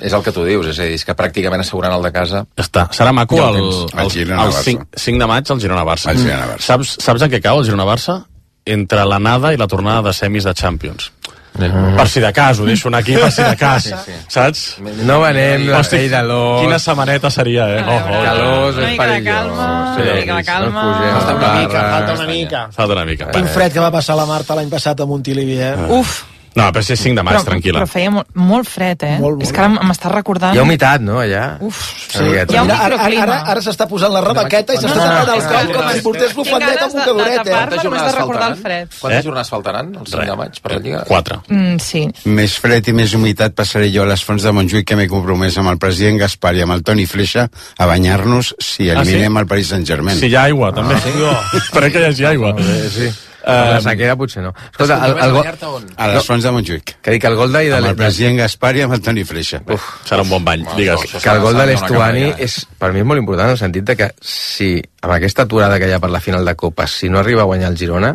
és el que tu dius, és a dir, és que pràcticament assegurant el de casa... Està. Serà maco el, el, el, el, el cinc de maig el Girona-Barça. El Girona-Barça. Saps, saps en què cau el Girona-Barça? Entre l'anada i la tornada de semis de Champions. Mm. Per si de cas, ho deixo aquí per si de cas, sí, sí. Saps? No venem la pell de l'os. Quina setmaneta seria, eh? Oh, oh, calós, és perillós. Una mica de calma. Falta una mica, falta una mica. Falta una mica. Quin fred que va passar la Marta l'any passat a Montilivi, eh? Uf. No, però si és cinc de maig, però, tranquil·la. Però feia molt, molt fred, eh? Molt, molt. És que ara m'estàs recordant... Hi ha humitat, no, allà? Uf, sí. Hi ha un microclima. Ara, ara s'està posant la rebaqueta i s'està tapant el coll com si portés bufandeta amb un cadoret, eh? Quantes jornades faltaran? Quantes jornades faltaran, el cinc de maig, per la Lliga? Quatre. Mm, sí. Més fred i més humitat passaré jo a les fonts de Montjuïc, que m'he compromès amb el president Gaspar i amb el Toni Fleixa a banyar-nos si eliminem ah, sí? el Paris Saint-Germain. Si hi ha aigua, també. Ah, sí? Esperem que hi hagi aigua. Sí. Uh, la sequera potser no. Escolta, el, el, el, a les fonts de Montjuïc. Que dic, el gol d'ahir de amb el president Gaspar i amb el Toni Freixa. Uf, serà un bon bany, digues. Que el gol de l'Estuani és, per mi és molt important en el sentit de que si amb aquesta aturada que hi ha per la final de Copa, si no arriba a guanyar el Girona,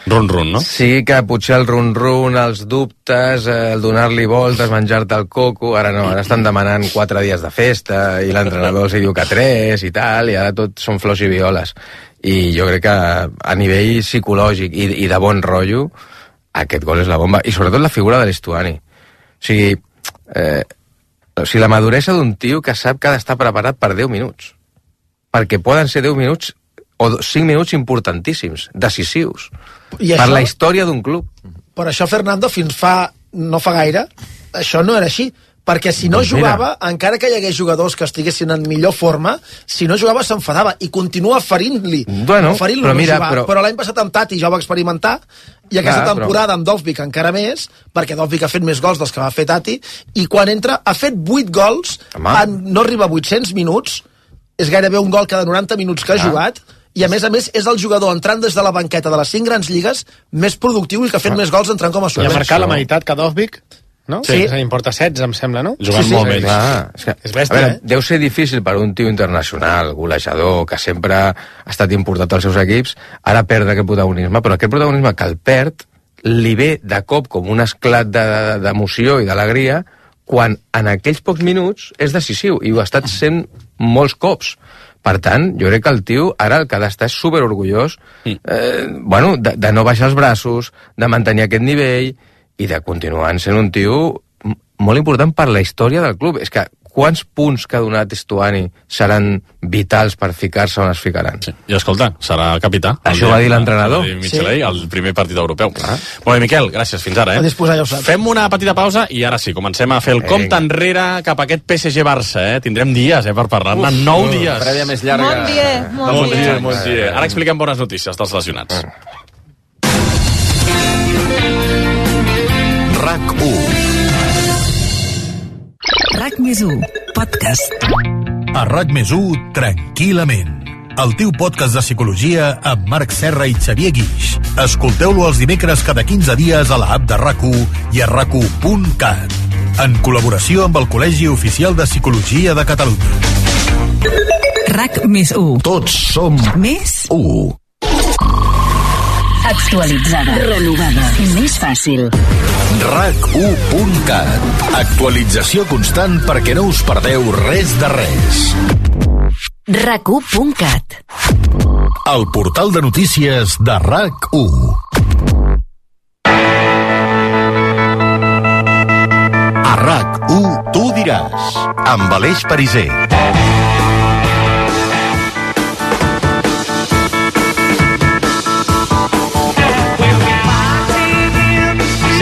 run-run, no? Sí, que potser el run-run, els dubtes, el donar-li voltes, menjar-te el coco, ara no, ara estan demanant quatre dies de festa i l'entrenador els diu que tres i tal, i ara tot són flors i violes. I jo crec que a nivell psicològic i, i de bon rotllo, aquest gol és la bomba. I sobretot la figura de l'Estuani. O sigui, eh, o sigui, la maduresa d'un tio que sap que ha d'estar preparat per deu minuts. Perquè poden ser deu minuts o cinc minuts importantíssims, decisius, I per això, la història d'un club. Per això, Fernando, fins fa no fa gaire, això no era així. Perquè si no doncs jugava, mira, encara que hi hagués jugadors que estiguessin en millor forma, si no jugava s'enfadava i continua ferint-li. Bueno, ferint-lo però no mira, jugar. però... però l'any passat amb Tati ja ho va experimentar, i aquesta Clar, temporada però... amb Dovbyk encara més, perquè Dovbyk ha fet més gols dels que va fer Tati, i quan entra ha fet vuit gols, en, no arriba a vuit-cents minuts, és gairebé un gol cada noranta minuts que ha ah. jugat, i a més a més és el jugador entrant des de la banqueta de les cinc grans lligues més productiu i que ha fet ah. més gols entrant com a suplent. I ha marcat la meitat que Dovbyk, no? Sí. sí. En porta setze, em sembla, no? Jugant sí, sí, molt sí, bé. És, que, és bèstia, a veure, eh? Deu ser difícil per un tio internacional, golejador, que sempre ha estat importat als seus equips, ara perdre aquest protagonisme, però aquest protagonisme que el perd li ve de cop com un esclat d'emoció de, de, i d'alegria quan en aquells pocs minuts és decisiu, i ho ha estat sent molts cops. Per tant, jo crec que el tio ara el que ha d'estar és superorgullós eh, bueno, de, de no baixar els braços, de mantenir aquest nivell i de continuar sent un tio molt important per la història del club. És que quants punts que ha donat Estuani seran vitals per ficar-se on es ficaran? Sí. I escolta, serà capità. Això va dir l'entrenador. Michelei, sí. El primer partit europeu. Ah. Molt bé, Miquel, gràcies, fins ara. Eh? A disposar, ja ho saps. Fem una petita pausa i ara sí, comencem a fer el compte enrere cap a aquest P S G-Barça. Eh? Tindrem dies eh, per parlar-ne, nou uh, dies. Prèvia més llarga. Bon dia, bon, bon dia. dia. Bon dia. Ara expliquem bones notícies dels lesionats. Uh. RAC u. RAC més u, podcast. A RAC més u, tranquil·lament. El teu podcast de psicologia amb Marc Serra i Xavier Guix. Escolteu-lo els dimecres cada quinze dies a la app de RAC u i a rac u punt cat. En col·laboració amb el Col·legi Oficial de Psicologia de Catalunya. RAC més u. Tots som més u. Actualitzada. Renovada. Més fàcil. rac u punt cat. Actualització constant perquè no us perdeu res de res. rac u punt cat. El portal de notícies de RAC u. A RAC u tu diràs, amb Aleix Pariser.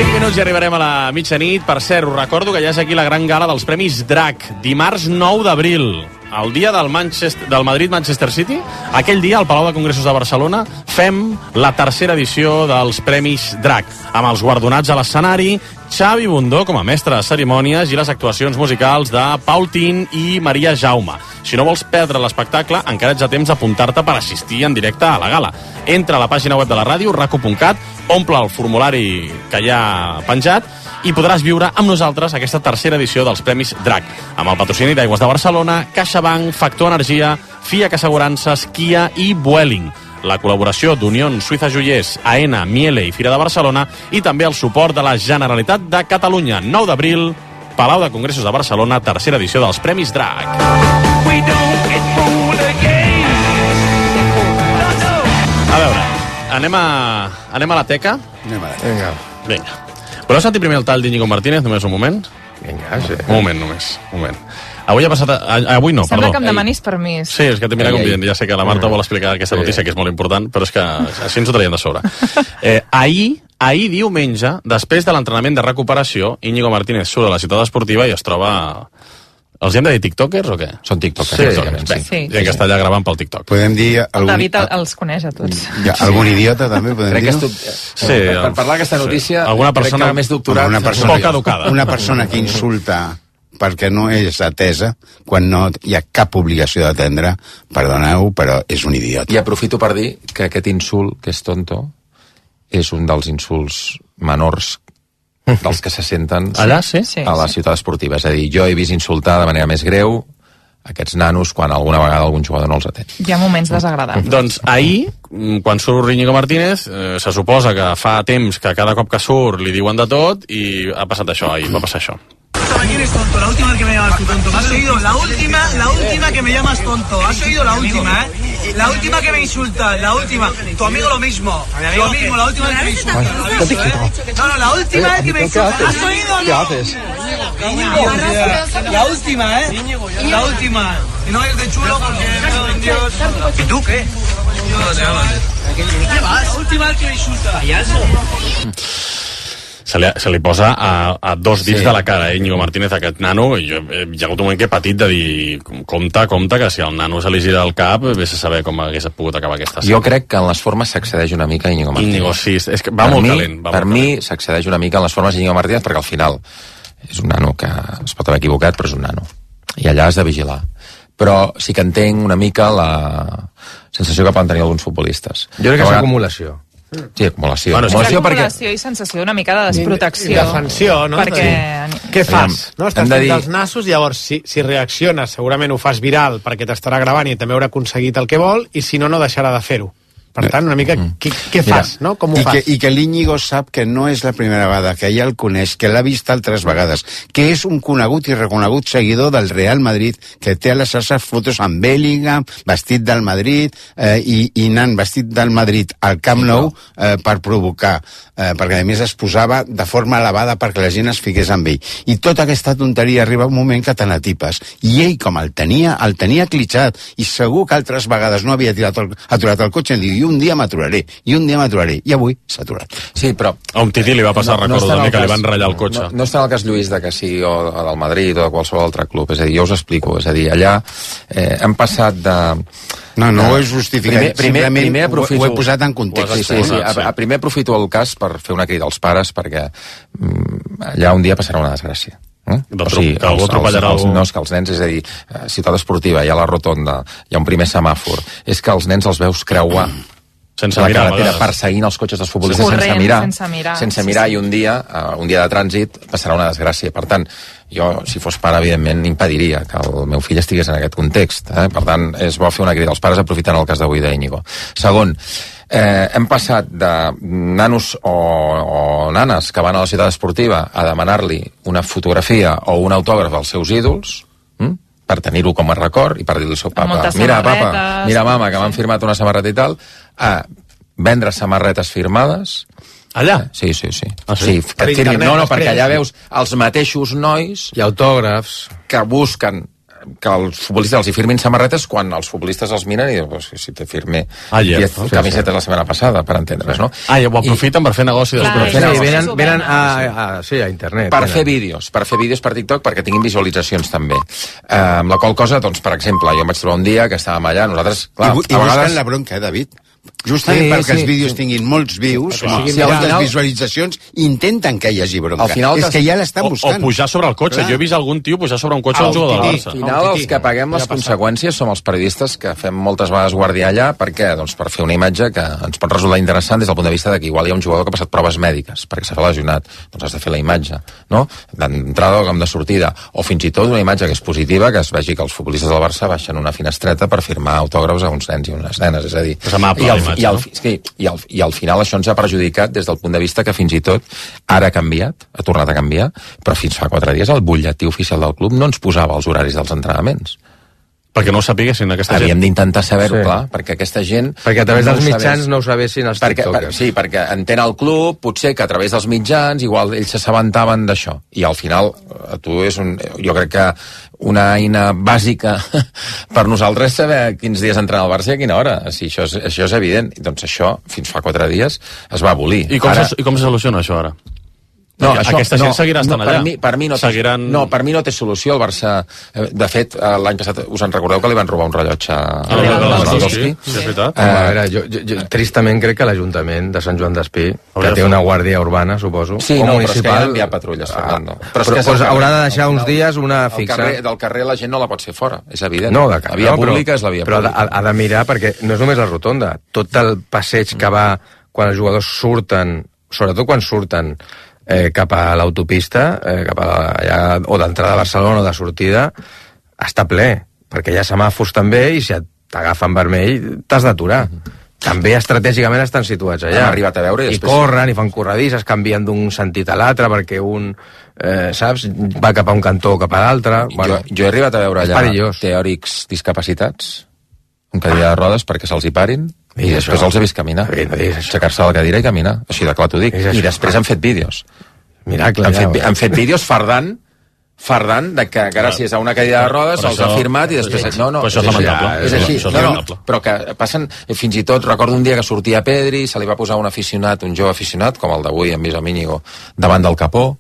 cinc minuts i arribarem a la mitjanit. Per cert, us recordo que ja és aquí la gran gala dels Premis Drac, dimarts nou d'abril, el dia del, Manchester, del Madrid-Manchester City. Aquell dia, al Palau de Congressos de Barcelona, fem la tercera edició dels Premis Drac, amb els guardonats a l'escenari, Xavi Bundó com a mestre de cerimònies i les actuacions musicals de Paul Tin i Maria Jaume. Si no vols perdre l'espectacle, encara ets a temps d'apuntar-te per assistir en directe a la gala. Entra a la pàgina web de la ràdio, rac u punt cat, omple el formulari que hi ha penjat i podràs viure amb nosaltres aquesta tercera edició dels Premis Drac, amb el patrocini d'Aigües de Barcelona, CaixaBank, Factor Energia, Fiac Assegurances, Kia i Vueling. La col·laboració d'Unió Suïssa Joiers, Aena, Miele i Fira de Barcelona i també el suport de la Generalitat de Catalunya. nou d'abril, Palau de Congressos de Barcelona, tercera edició dels Premis Drac. A veure, anem a, anem a la teca? Anem a la teca. Vinga. Voleu sentir primer el tall d'Íñigo Martínez, només un moment? Vinga, sí. Un moment, només. Un moment. Avui ha passat... A, avui no, Sembla perdó. que em demanis permís. Sí, és que te mira com dient, ja sé que la Marta vol explicar aquesta notícia, que és molt important, però és que així ens ho traiem de sobre. Eh, ahir, ahir diumenge, després de l'entrenament de recuperació, Íñigo Martínez surt a la ciutat esportiva i es troba... Els hem de dir tiktokers o què? Són tiktokers. Sí, tiktokers. sí. sí. Gent que està allà gravant pel TikTok. Podem dir... El Algun... David el, els coneix a tots. Ja, algun idiota també podem Crec que dir-ho? estu... Sí, per, per parlar d'aquesta notícia, sí. Alguna persona crec que més doctorat... Una persona, poc educada. Una persona que insulta perquè no és atesa, quan no hi ha cap obligació d'atendre, perdoneu, però és un idiota. I aprofito per dir que aquest insult, que és tonto, és un dels insults menors dels que se senten allà, sí? a la ciutat esportiva. És a dir, jo he vist insultar de manera més greu aquests nanos quan alguna vegada algun jugador no els atén. Hi ha moments desagradables. Doncs ahir, quan surt Íñigo Martínez, eh, se suposa que fa temps que cada cop que surt li diuen de tot i ha passat això, ahir va passar això. ¿Quién es tonto? La última vez que me llamas tú tonto. ¿Has oído? La última, la última que me llamas tonto. ¿Has oído la última, eh? La última que me insulta, la última. Tu amigo lo mismo. Lo mismo, la última vez que me insulta. No, no, la última vez que me insulta. ¿Has oído? ¿Qué haces? La última, eh? La última. Y no es de chulo porque... Dios. ¿Y tú qué? ¿Qué vas? La última vez que me insulta. Payaso. Se li, se li posa a, a dos dits sí. de la cara, eh, Íñigo Martínez, aquest nano, i jo, eh, hi ha hagut un moment que he patit de dir, compte, compte, que si el nano se li gira el cap, vés a saber com hagués pogut acabar aquesta escena. Jo crec que en les formes s'accedeix una mica a Íñigo Martínez. Íñigo, sí, és que va per molt mi, calent. Va per molt mi calent. s'accedeix una mica en les formes d'Íñigo Martínez, perquè al final és un nano que es pot haver equivocat, però és un nano. I allà has de vigilar. Però sí que entenc una mica la sensació que poden tenir alguns futbolistes. Jo crec que és acumulació. Sí, acumulació. Bueno, acumulació, acumulació perquè... i sensació una mica de desprotecció. I defensió, no? Perquè... Sí. Què fas? No? Estàs fent dir... els nassos, llavors, si, si reacciones, segurament ho fas viral perquè t'estarà gravant i també haurà aconseguit el que vol, i si no, no deixarà de fer-ho. Per tant, una mica, què, què fas, no? Com ho I fas? Que, I que l'Íñigo sap que no és la primera vegada, que ja el coneix, que l'ha vist altres vegades, que és un conegut i reconegut seguidor del Real Madrid, que té a les xarxes fotos amb Bellingham, vestit del Madrid, eh, i, i anant vestit del Madrid al Camp Nou eh, per provocar, eh, perquè a més es posava de forma elevada perquè la gent es fiqués amb ell. I tota aquesta tonteria arriba un moment que te n'atipes. I ell, com el tenia, el tenia clitxat, i segur que altres vegades no havia tirat el, aturat el cotxe, i diu, i un dia m'aturaré, i un dia m'aturaré, i avui s'ha aturat. Sí, però... A un Tití li va passar, no, recordo, no també, que cas, li van ratllar el cotxe. No, no està en el cas, Lluís, de que sigui o, o del Madrid o de qualsevol altre club, és a dir, jo us explico, és a dir, allà eh, hem passat de... No, no ho he justificat, primer, primer, primer aprofito, ho he posat en context. Sí, sí, sí, a, a primer aprofito el cas per fer una crida als pares, perquè mm, allà un dia passarà una desgràcia. Eh? O sigui, que algú atropellarà els, els, no, és que els nens, és a dir, ciutat esportiva, hi ha la rotonda, hi ha un primer semàfor, és que els nens els veus creuar sense la mirar, carretera, perseguint els cotxes dels futbolistes corrent, sense mirar, sense mirar, sense sí, mirar sí. I un dia, uh, un dia de trànsit passarà una desgràcia. Per tant, jo, si fos pare, evidentment, impediria que el meu fill estigués en aquest context. Eh? Per tant, és bo fer una crida als pares aprofitant el cas d'avui d'Íñigo. Segon, Eh, hem passat de nanos o, o nanes que van a la ciutat esportiva a demanar-li una fotografia o un autògraf als seus ídols, hm? per tenir-ho com a record i per dir-li al seu papa, mira papa, mira mama, que m'han firmat una samarreta i tal, a vendre samarretes firmades. Allà? Sí, sí, sí. Ah, sí? sí que firmin, no, no, perquè allà veus els mateixos nois i autògrafs que busquen que els futbolistes els hi firmin samarretes quan els futbolistes els miren i diuen, pues, si te firme ah, yeah. diez camisetes la setmana passada, per entendre's, no? Ah, i ho aprofiten I, per fer negoci després. Sí, venen, venen a, a, sí, a internet. Per venen. fer vídeos, per fer vídeos per TikTok perquè tinguin visualitzacions també. Uh, amb la qual cosa, doncs, per exemple, jo em vaig trobar un dia que estàvem allà, nosaltres, clar, I, i a vegades... vegades... la bronca, eh, David? Justament sí, perquè sí, els vídeos sí. tinguin molts views, sí, moltes sí, final... visualitzacions, intenten que hi hagi bronca. Final, és que ja l'estan buscant. O, o pujar sobre el cotxe. Clar. Jo he vist algun tio pujar sobre un cotxe al jugador del Barça. Al final, els que paguem les conseqüències som els periodistes que fem moltes vegades guàrdia allà. Per què? Doncs per fer una imatge que ens pot resultar interessant des del punt de vista de que igual hi ha un jugador que ha passat proves mèdiques perquè s'ha lesionat. Doncs has de fer la imatge, no? D'entrada o com de sortida. O fins i tot una imatge que és positiva, que es vegi que els futbolistes del Barça baixen una finestreta per firmar autògrafs a uns nens i unes nenes. És a dir, és amable, i, al, imatge, i, al, no? sí, i, al, i al final això ens ha perjudicat des del punt de vista que fins i tot ara ha canviat, ha tornat a canviar, però fins fa quatre dies el butlletí oficial del club no ens posava els horaris dels entrenaments. Perquè no ho sapiguessin aquesta gent. Havíem d'intentar saber-ho, sí. clar, perquè aquesta gent... Perquè a través no dels mitjans sabés. no ho sabessin els perquè, tiktokers. per, sí, perquè entén el club, potser que a través dels mitjans, igual ells s'assabentaven d'això. I al final, a tu és un... Jo crec que una eina bàsica per nosaltres és saber quins dies entrena el Barça i a quina hora. Si això és, això és evident. Doncs això, fins fa quatre dies, es va abolir. I com, ara... se, i com se soluciona això ara? No, Aquesta això, aquesta gent no, seguirà estant no, allà. Per mi, per mi no, Seguiran... té, no, per mi no té solució. El Barça, de fet, l'any passat us en recordeu que li van robar un rellotge a ah, Lewandowski? Sí, és veritat. Eh, a veure, jo, jo, jo, tristament crec que l'Ajuntament de Sant Joan d'Espí, que té una guàrdia urbana, suposo, sí, o no, municipal... però és que ja enviar patrulles, Fernando. Ah, però, però, però haurà de deixar uns dies una fixa... Carrer, del carrer la gent no la pot fer fora, és evident. No, de, la via no, pública però, és la via però pública. Però ha, ha de mirar, perquè no és només la rotonda. Tot el passeig que va quan els jugadors surten, sobretot quan surten eh, cap a l'autopista, eh, cap a allà, o d'entrada a Barcelona o de sortida, està ple, perquè hi ha semàfors també, i si t'agafen vermell t'has d'aturar. Mm-hmm. També estratègicament estan situats allà. Hem arribat a veure i, I després... corren i fan corredisses, canvien d'un sentit a l'altre perquè un, eh, saps, va cap a un cantó o cap a l'altre. Bueno, jo, jo he arribat a veure allà perillós. Teòrics discapacitats amb cadira de rodes perquè se'ls hi parin i, I després això? Els he vist caminar, no aixecar-se de la cadira i caminar, així de clar t'ho dic. I després han fet vídeos. Miracle, han, ja, fet, han fet vídeos fardant fardant de que gràcies a una cadira de rodes se'ls ha firmat i després... Sí, no, no, això és lamentable. És així, és no, no, però que passen... Fins i tot recordo un dia que sortia Pedri, se li va posar un aficionat, un jove aficionat, com el d'avui, en Visa Míñigo, davant del capó.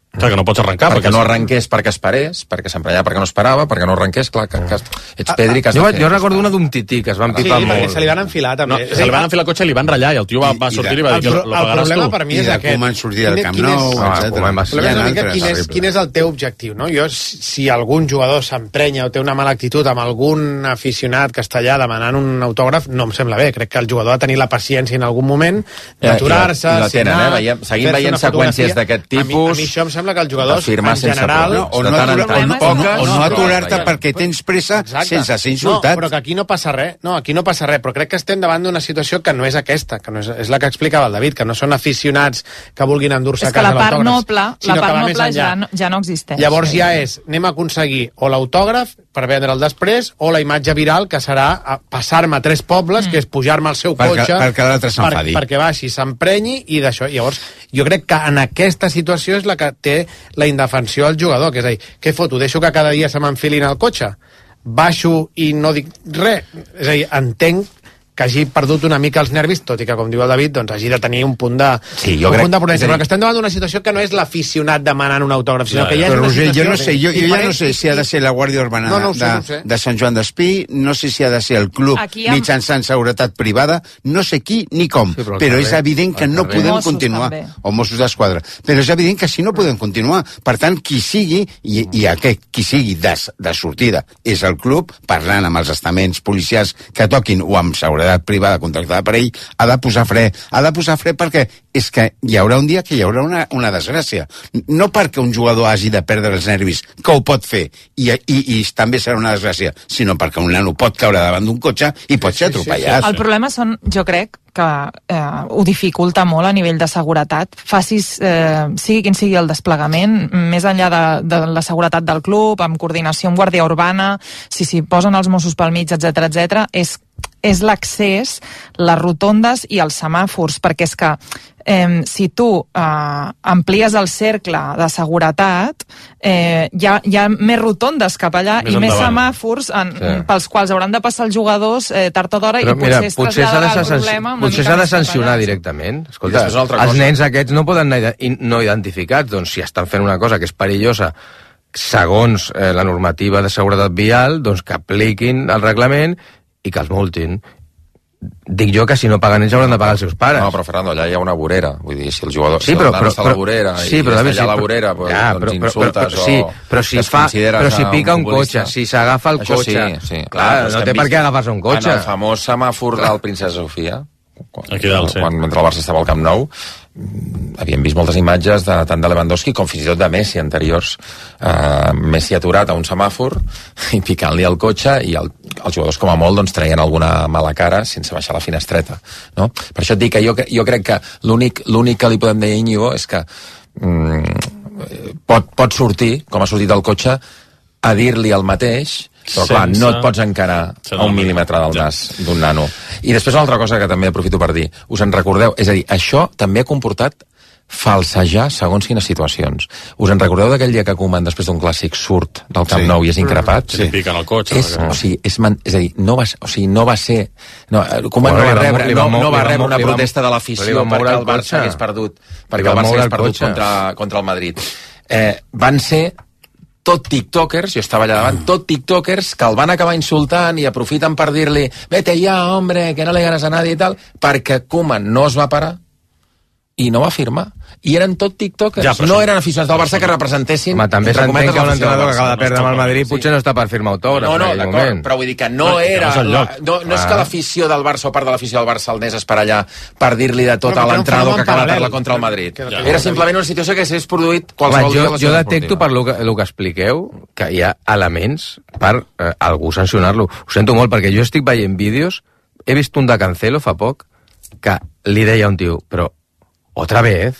Clar, que no pots arrencar. Perquè, perquè no arrenqués perquè esperés, perquè s'emprenyava perquè no esperava, perquè no arrenqués, clar, que, que ets Pedri que has jo, de fer. Jo recordo una d'un tití, que es van pipar sí, molt. Sí, se li van enfilar també. No, se li van enfilar el cotxe i li van ratllar, i el tio va, va sortir i va dir que lo pagaràs tu. El problema per mi és aquest. I de com han sortit del Camp Nou, etcètera. El problema és una mica quin és, quin és el teu objectiu, no? Jo, si algun jugador s'emprenya o té una mala actitud amb algun aficionat que està allà demanant un autògraf, no em sembla bé. Crec que el jugador ha de tenir la paciència en algun moment d'aturar-se, signar, seguim veient seqüències d'aquest tipus. A mi això em sembla que el jugador en general, no, o no, no, no aturar-te perquè tens pressa sense ser insultat. No, però que aquí no passa res, no, aquí no passa res, però crec que estem davant d'una situació que no és aquesta, que no és, és la que explicava el David, que no són aficionats que vulguin endur-se a casa l'autògraf. És que la part noble, la part noble ja no, ja no existeix. Llavors ja és, anem a aconseguir o l'autògraf per vendre'l després, o la imatge viral, que serà passar-me a tres pobles, mm. que és pujar-me al seu perquè, cotxe... Perquè l'altre s'enfadi. Per, perquè baixi, s'emprenyi, i d'això. Llavors, jo crec que en aquesta situació és la que té la indefensió al jugador, que és a dir, què foto? Deixo que cada dia se m'enfilin al cotxe? Baixo i no dic res? És a dir, entenc que hagi perdut una mica els nervis, tot i que, com diu el David, doncs hagi de tenir un punt de, sí, jo un crec, punt de prudència. dir... Però que estem davant d'una situació que no és l'aficionat demanant un autògraf, sinó ja, que ja, ja és una Roger, situació... Jo, no sé, jo, jo ja no sé si ha de ser la Guàrdia Urbana no, no sé, de, no sé. de Sant Joan d'Espí, no sé si ha de ser el club Aquí amb... mitjançant seguretat privada, no sé qui ni com, sí, però, però carrer, és evident que no podem Mossos continuar. També. O Mossos d'Esquadra. Però és evident que si no podem continuar. Per tant, qui sigui, i, i aquest qui sigui de, de sortida, és el club, parlant amb els estaments policials que toquin o amb seguretat privada contractada per ell, ha de posar fre. Ha de posar fre perquè és que hi haurà un dia que hi haurà una, una desgràcia. No perquè un jugador hagi de perdre els nervis, que ho pot fer, i, i, i també serà una desgràcia, sinó perquè un nano pot caure davant d'un cotxe i pot ser atropellat. El problema són, jo crec, que eh, ho dificulta molt a nivell de seguretat. Facis, eh, sigui quin sigui el desplegament, més enllà de, de la seguretat del club, amb coordinació amb Guàrdia Urbana, si s'hi posen els Mossos pel mig, etcètera, etcètera, és, és l'accés, les rotondes i els semàfors, perquè és que eh, si tu eh, amplies el cercle de seguretat, eh, hi, ha, hi ha més rotondes cap allà més i endavant. Més semàfors en, sí. pels quals hauran de passar els jugadors eh, tard o d'hora, i mira, potser es potser traslladarà el problema. Potser s'ha de sancionar directament. Escolta, els nens aquests no poden anar no identificats, doncs si estan fent una cosa que és perillosa segons eh, la normativa de seguretat vial, doncs que apliquin el reglament i que els multin. Dic jo que si no paguen ells hauran de pagar els seus pares. No, però Fernando, allà hi ha una vorera. Vull dir, si el jugador sí, però, si però, està a la vorera sí, i però, està allà sí, a la vorera, pues, ja, doncs però, insultes però, però, sí, però si o fa, però si pica un, un cotxe, si s'agafa el això cotxe, sí, sí. clar, no té per què agafar-se un cotxe. En el famós semàfor del Princesa Sofia, quan, aquí dalt, sí. quan mentre el Barça estava al Camp Nou, havíem vist moltes imatges de, tant de Lewandowski com fins i tot de Messi anteriors. Uh, Messi aturat a un semàfor i picant-li el cotxe, i el, els jugadors com a molt doncs, traien alguna mala cara sense baixar la finestreta, no? Per això et dic que jo, jo crec que l'únic l'únic que li podem dir a Íñigo és que mm, pot, pot sortir, com ha sortit el cotxe, a dir-li el mateix, però clar, sense... no et pots encarar a un mil·límetre del nas d'un nano. I després una altra cosa que també aprofito per dir, us en recordeu? És a dir, això també ha comportat falsejar segons quines situacions. Us en recordeu d'aquell dia que Koeman, després d'un clàssic, surt del Camp sí. Nou i és increpat? Sí. Piquen el cotxe. És, o sigui, és, man, és a dir, no va, o sigui, no va ser... No, Koeman bueno, no va rebre, no, no va rebre una protesta de l'afició perquè el Barça hagués perdut, perquè el Barça hagués perdut contra, contra el Madrid. Eh, van ser tot tiktokers, jo estava allà davant, tot tiktokers que el van acabar insultant i aprofiten per dir-li vete ja, hombre, que no le ganes a nadie i tal, perquè Koeman no es va parar i no va firmar. I eren tot tiktokers, ja, no eren aficionats del Barça que representessin... Home, també s'entén que un entrenador que acaba de perdre amb el Madrid potser no està per firmar autògrafs. No, no, d'acord, però vull dir que no era... No, no, no és que l'afició del Barça o part de l'afició del Barça el anés per allà per dir-li de tot a l'entrenador que acaba de perdre contra el Madrid. Era simplement una situació que s'hagués produït qualsevol dia. Jo detecto per lo que expliqueu que hi ha elements per algú sancionar-lo. Ho sento molt, perquè jo estic veient vídeos, he vist un de Cancelo fa poc, que li deia un tio, però otra vez,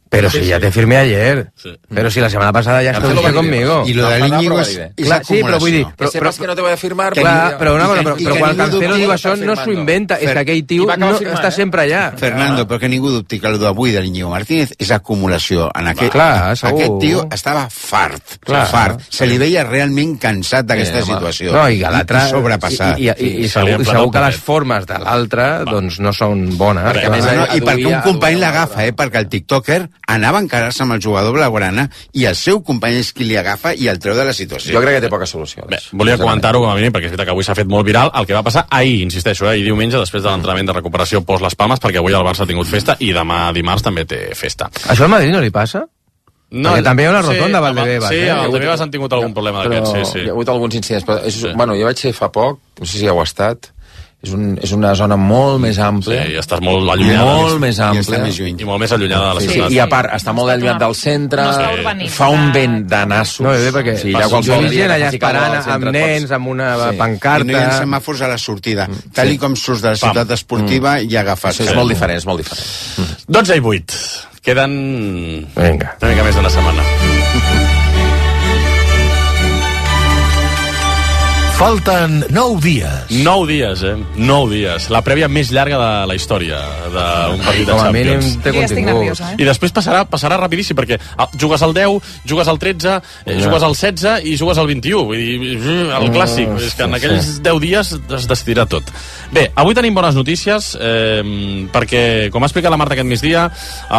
pero sí, si ya sí. te firmé ayer, sí. pero si la semana pasada ya estuviste conmigo. Y lo de Íñigo és, és clar, sí, però vull dir, però, però, però, que no te voy a firmar, clar, però, una cosa, però, però quan Cancelo diu això no s'ho inventa, és que aquell tio no, està sempre allà. Fernando, però que ningú dubti que el d'avui de l'Íñigo Martínez és acumulació. En aquest, clar, aquest tio estava fart, clar, fart. Se li veia realment cansat d'aquesta eh, situació. No, i l'altre sobrepassat. I, i, i, i, segur, i segur que les formes de l'altre doncs no són bones. I perquè un company l'agafa, eh, perquè el tiktoker anava a encarar-se amb el jugador blaugrana i el seu company és qui li agafa i el treu de la situació. Jo crec que té poca solució. Bé, volia comentar-ho com a mínim, perquè és veritat que avui s'ha fet molt viral el que va passar ahir, insisteixo, eh, i diumenge després de l'entrenament de recuperació post les Palmes, perquè avui el Barça ha tingut festa i demà dimarts també té festa. Això al Madrid no li passa? No, perquè també hi ha una rotonda sí, a Valdebebas. Sí, eh? a Valdebebas han tingut algun problema d'aquests, sí, sí. Hi ha hagut alguns incidents, però és, sí. bueno, jo vaig ser fa poc, no sé si heu estat, és, un, és una zona molt més àmplia. Sí, i estàs molt allunyada. Molt més àmplia. I, I molt més allunyada de la sí, ciutat. Sí, i a part, està molt allunyat del centre, no fa un vent de nassos. No, bé, perquè sí, jo he vist gent allà esperant amb nens, amb una sí. pancarta... I no hi ha semàfors a la sortida. Mm. Tal sí. com surts de la ciutat Pam. esportiva mm. i agafes... Sí, és molt diferent, és molt diferent. Mm. dotze i vuit. Queden... Vinga. Una mica més d'una setmana. Falten nou dies. Nou dies, eh? Nou dies. La prèvia més llarga de la història d'un partit de Champions. Jo estic nerviosa, eh? I després passarà, passarà rapidíssim, perquè jugues al deu, jugues al tretze, eh, jugues al setze i jugues al vint-i-u. Vull dir, el clàssic. És que en aquells deu dies es decidirà tot. Bé, avui tenim bones notícies, eh, perquè, com ha explicat la Marta aquest migdia,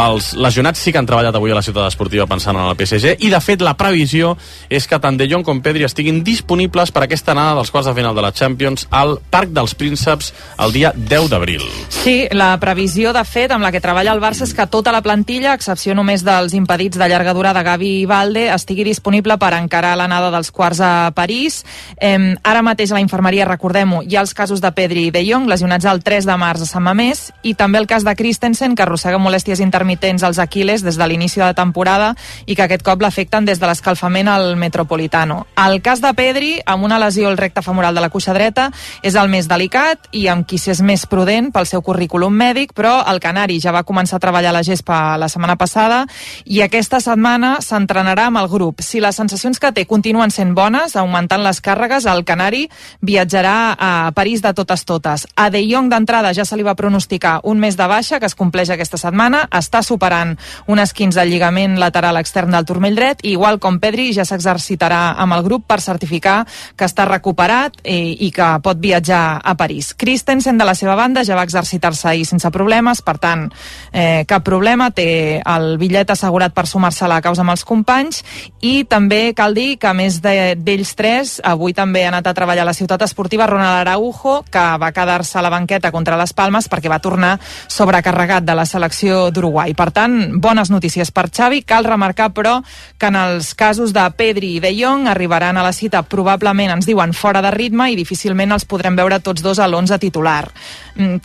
els lesionats sí que han treballat avui a la ciutat esportiva pensant en el P S G, i de fet la previsió és que tant De Jong com Pedri estiguin disponibles per aquesta anada dels quarts de final de la Champions al Parc dels Prínceps el dia deu d'abril. Sí, la previsió, de fet, amb la que treballa el Barça és que tota la plantilla, a excepció només dels impedits de llarga durada Gavi i Valde, estigui disponible per encarar l'anada dels quarts a París. Eh, ara mateix a la infermeria, recordem-ho, hi ha els casos de Pedri i De Jong, lesionats el tres de març a Sant Mamés, i també el cas de Christensen, que arrossega molèsties intermitents als Aquiles des de l'inici de la temporada i que aquest cop l'afecten des de l'escalfament al Metropolitano. El cas de Pedri, amb una lesió al el recte femoral de la cuixa dreta, és el més delicat i amb qui s'és més prudent pel seu currículum mèdic, però el canari ja va començar a treballar a la gespa la setmana passada i aquesta setmana s'entrenarà amb el grup. Si les sensacions que té continuen sent bones, augmentant les càrregues, el canari viatjarà a París de totes totes. A De Jong d'entrada ja se li va pronosticar un mes de baixa, que es compleix aquesta setmana, està superant un esquinç del lligament lateral extern del turmell dret i igual com Pedri ja s'exercitarà amb el grup per certificar que està recuperat i, i que pot viatjar a París. Christensen, de la seva banda, ja va exercitar-se ahir sense problemes, per tant, eh, cap problema, té el bitllet assegurat per sumar-se a la causa amb els companys i també cal dir que a més d'ells tres, avui també ha anat a treballar a la ciutat esportiva Ronald Araujo, que va quedar-se a la banqueta contra les Palmes perquè va tornar sobrecarregat de la selecció d'Uruguai. Per tant, bones notícies per Xavi. Cal remarcar, però, que en els casos de Pedri i De Jong arribaran a la cita probablement, ens diuen, fora de ritme i difícilment els podrem veure tots dos a l'onze titular.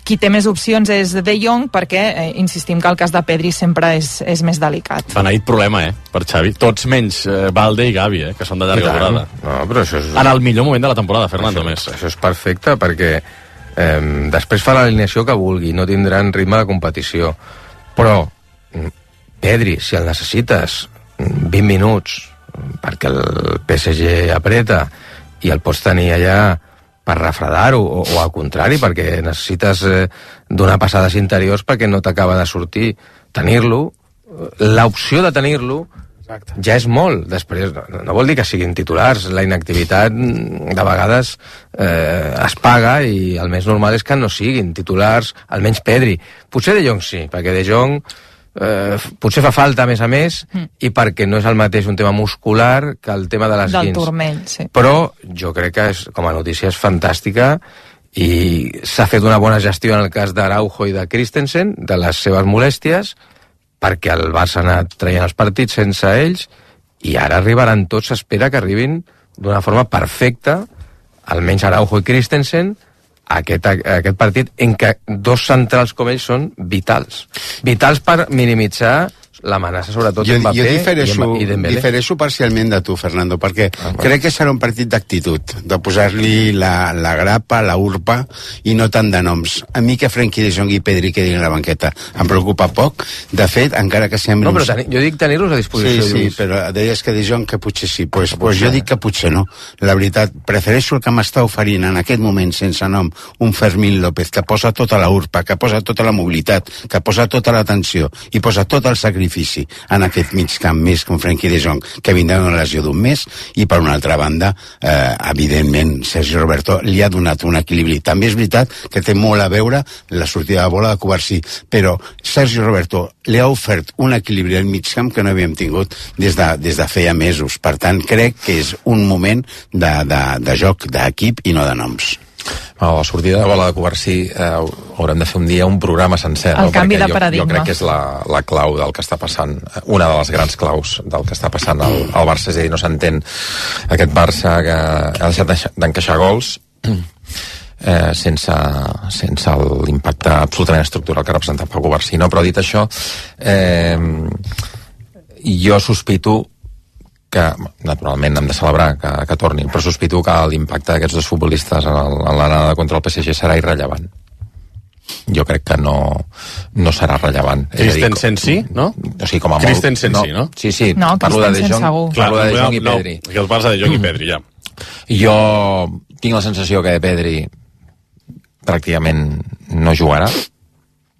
Qui té més opcions és De Jong perquè, eh, insistim que el cas de Pedri sempre és, és més delicat. Beneït problema, eh, per Xavi. Tots menys eh, Valde i Gavi, eh, que són de llarga durada. No, però això és... En el millor moment de la temporada, Fernando, això, més. Això és perfecte, perquè eh, després fa l'alineació que vulgui, no tindran ritme de competició. Però Pedri, si el necessites vint minuts perquè el P S G apreta i el pots tenir allà per refredar-ho, o, o al contrari, perquè necessites eh, donar passades interiors perquè no t'acaba de sortir, tenir-lo, l'opció de tenir-lo Exacte. Ja és molt. Després, no, no vol dir que siguin titulars, la inactivitat de vegades eh, es paga i el més normal és que no siguin titulars, almenys Pedri. Potser De Jong sí, perquè De Jong eh, potser fa falta a més a més mm. i perquè no és el mateix un tema muscular que el tema de les del guins. turmell, sí. Però jo crec que és, com a notícia és fantàstica i s'ha fet una bona gestió en el cas d'Araujo i de Christensen, de les seves molèsties, perquè el Barça ha anat traient els partits sense ells i ara arribaran tots, s'espera que arribin d'una forma perfecta, almenys Araujo i Christensen, a aquest, a aquest partit en què dos centrals com ells són vitals. Vitals per minimitzar l'amenaça, sobretot jo, Mbappé jo difereixo, i Dembélé. difereixo parcialment de tu, Fernando, perquè ah, bueno. crec que serà un partit d'actitud, de posar-li la, la grapa, la urpa, i no tant de noms. A mi que Frenkie de Jong i Pedri quedin a la banqueta em preocupa poc. De fet, encara que sembli... No, però teni, jo dic tenir-los a disposició. Sí, sí, Lluís. però deies que de Jong que potser sí. Pues, pues jo dic que potser no. La veritat, prefereixo el que m'està oferint en aquest moment sense nom un Fermín López, que posa tota la urpa, que posa tota la mobilitat, que posa tota l'atenció i posa tot el sacrifici en aquest mig camp, més que un Frenkie de Jong, que vindrà una lesió d'un mes, i per una altra banda, eh, evidentment, Sergi Roberto li ha donat un equilibri. També és veritat que té molt a veure la sortida de bola de Covarsí, però Sergi Roberto li ha ofert un equilibri al mig camp que no havíem tingut des de, des de feia mesos. Per tant, crec que és un moment de, de, de joc d'equip i no de noms. A la sortida de bola de Covarsí eh, haurem de fer un dia un programa sencer. El no? canvi Perquè de jo, paradigma. jo crec que és la, la clau del que està passant, una de les grans claus del que està passant al, al Barça, és a dir, no s'entén aquest Barça que ha deixat d'encaixar gols eh, sense, sense l'impacte absolutament estructural que ha representat Pau Covarsí. No? Però dit això, eh, jo sospito que, naturalment, hem de celebrar que, que tornin, però sospito que l'impacte d'aquests dos futbolistes en, el, en l'anada contra el P S G serà irrellevant. Jo crec que no, no serà rellevant. Christensen sí, no? O sigui, com a molt... Christensen sí, no? Sí, sí, no, parlo de De Jong, segur. parlo de De Jong i no, Pedri. No, que el parles de De Jong i Pedri, ja. Jo tinc la sensació que Pedri pràcticament no jugarà.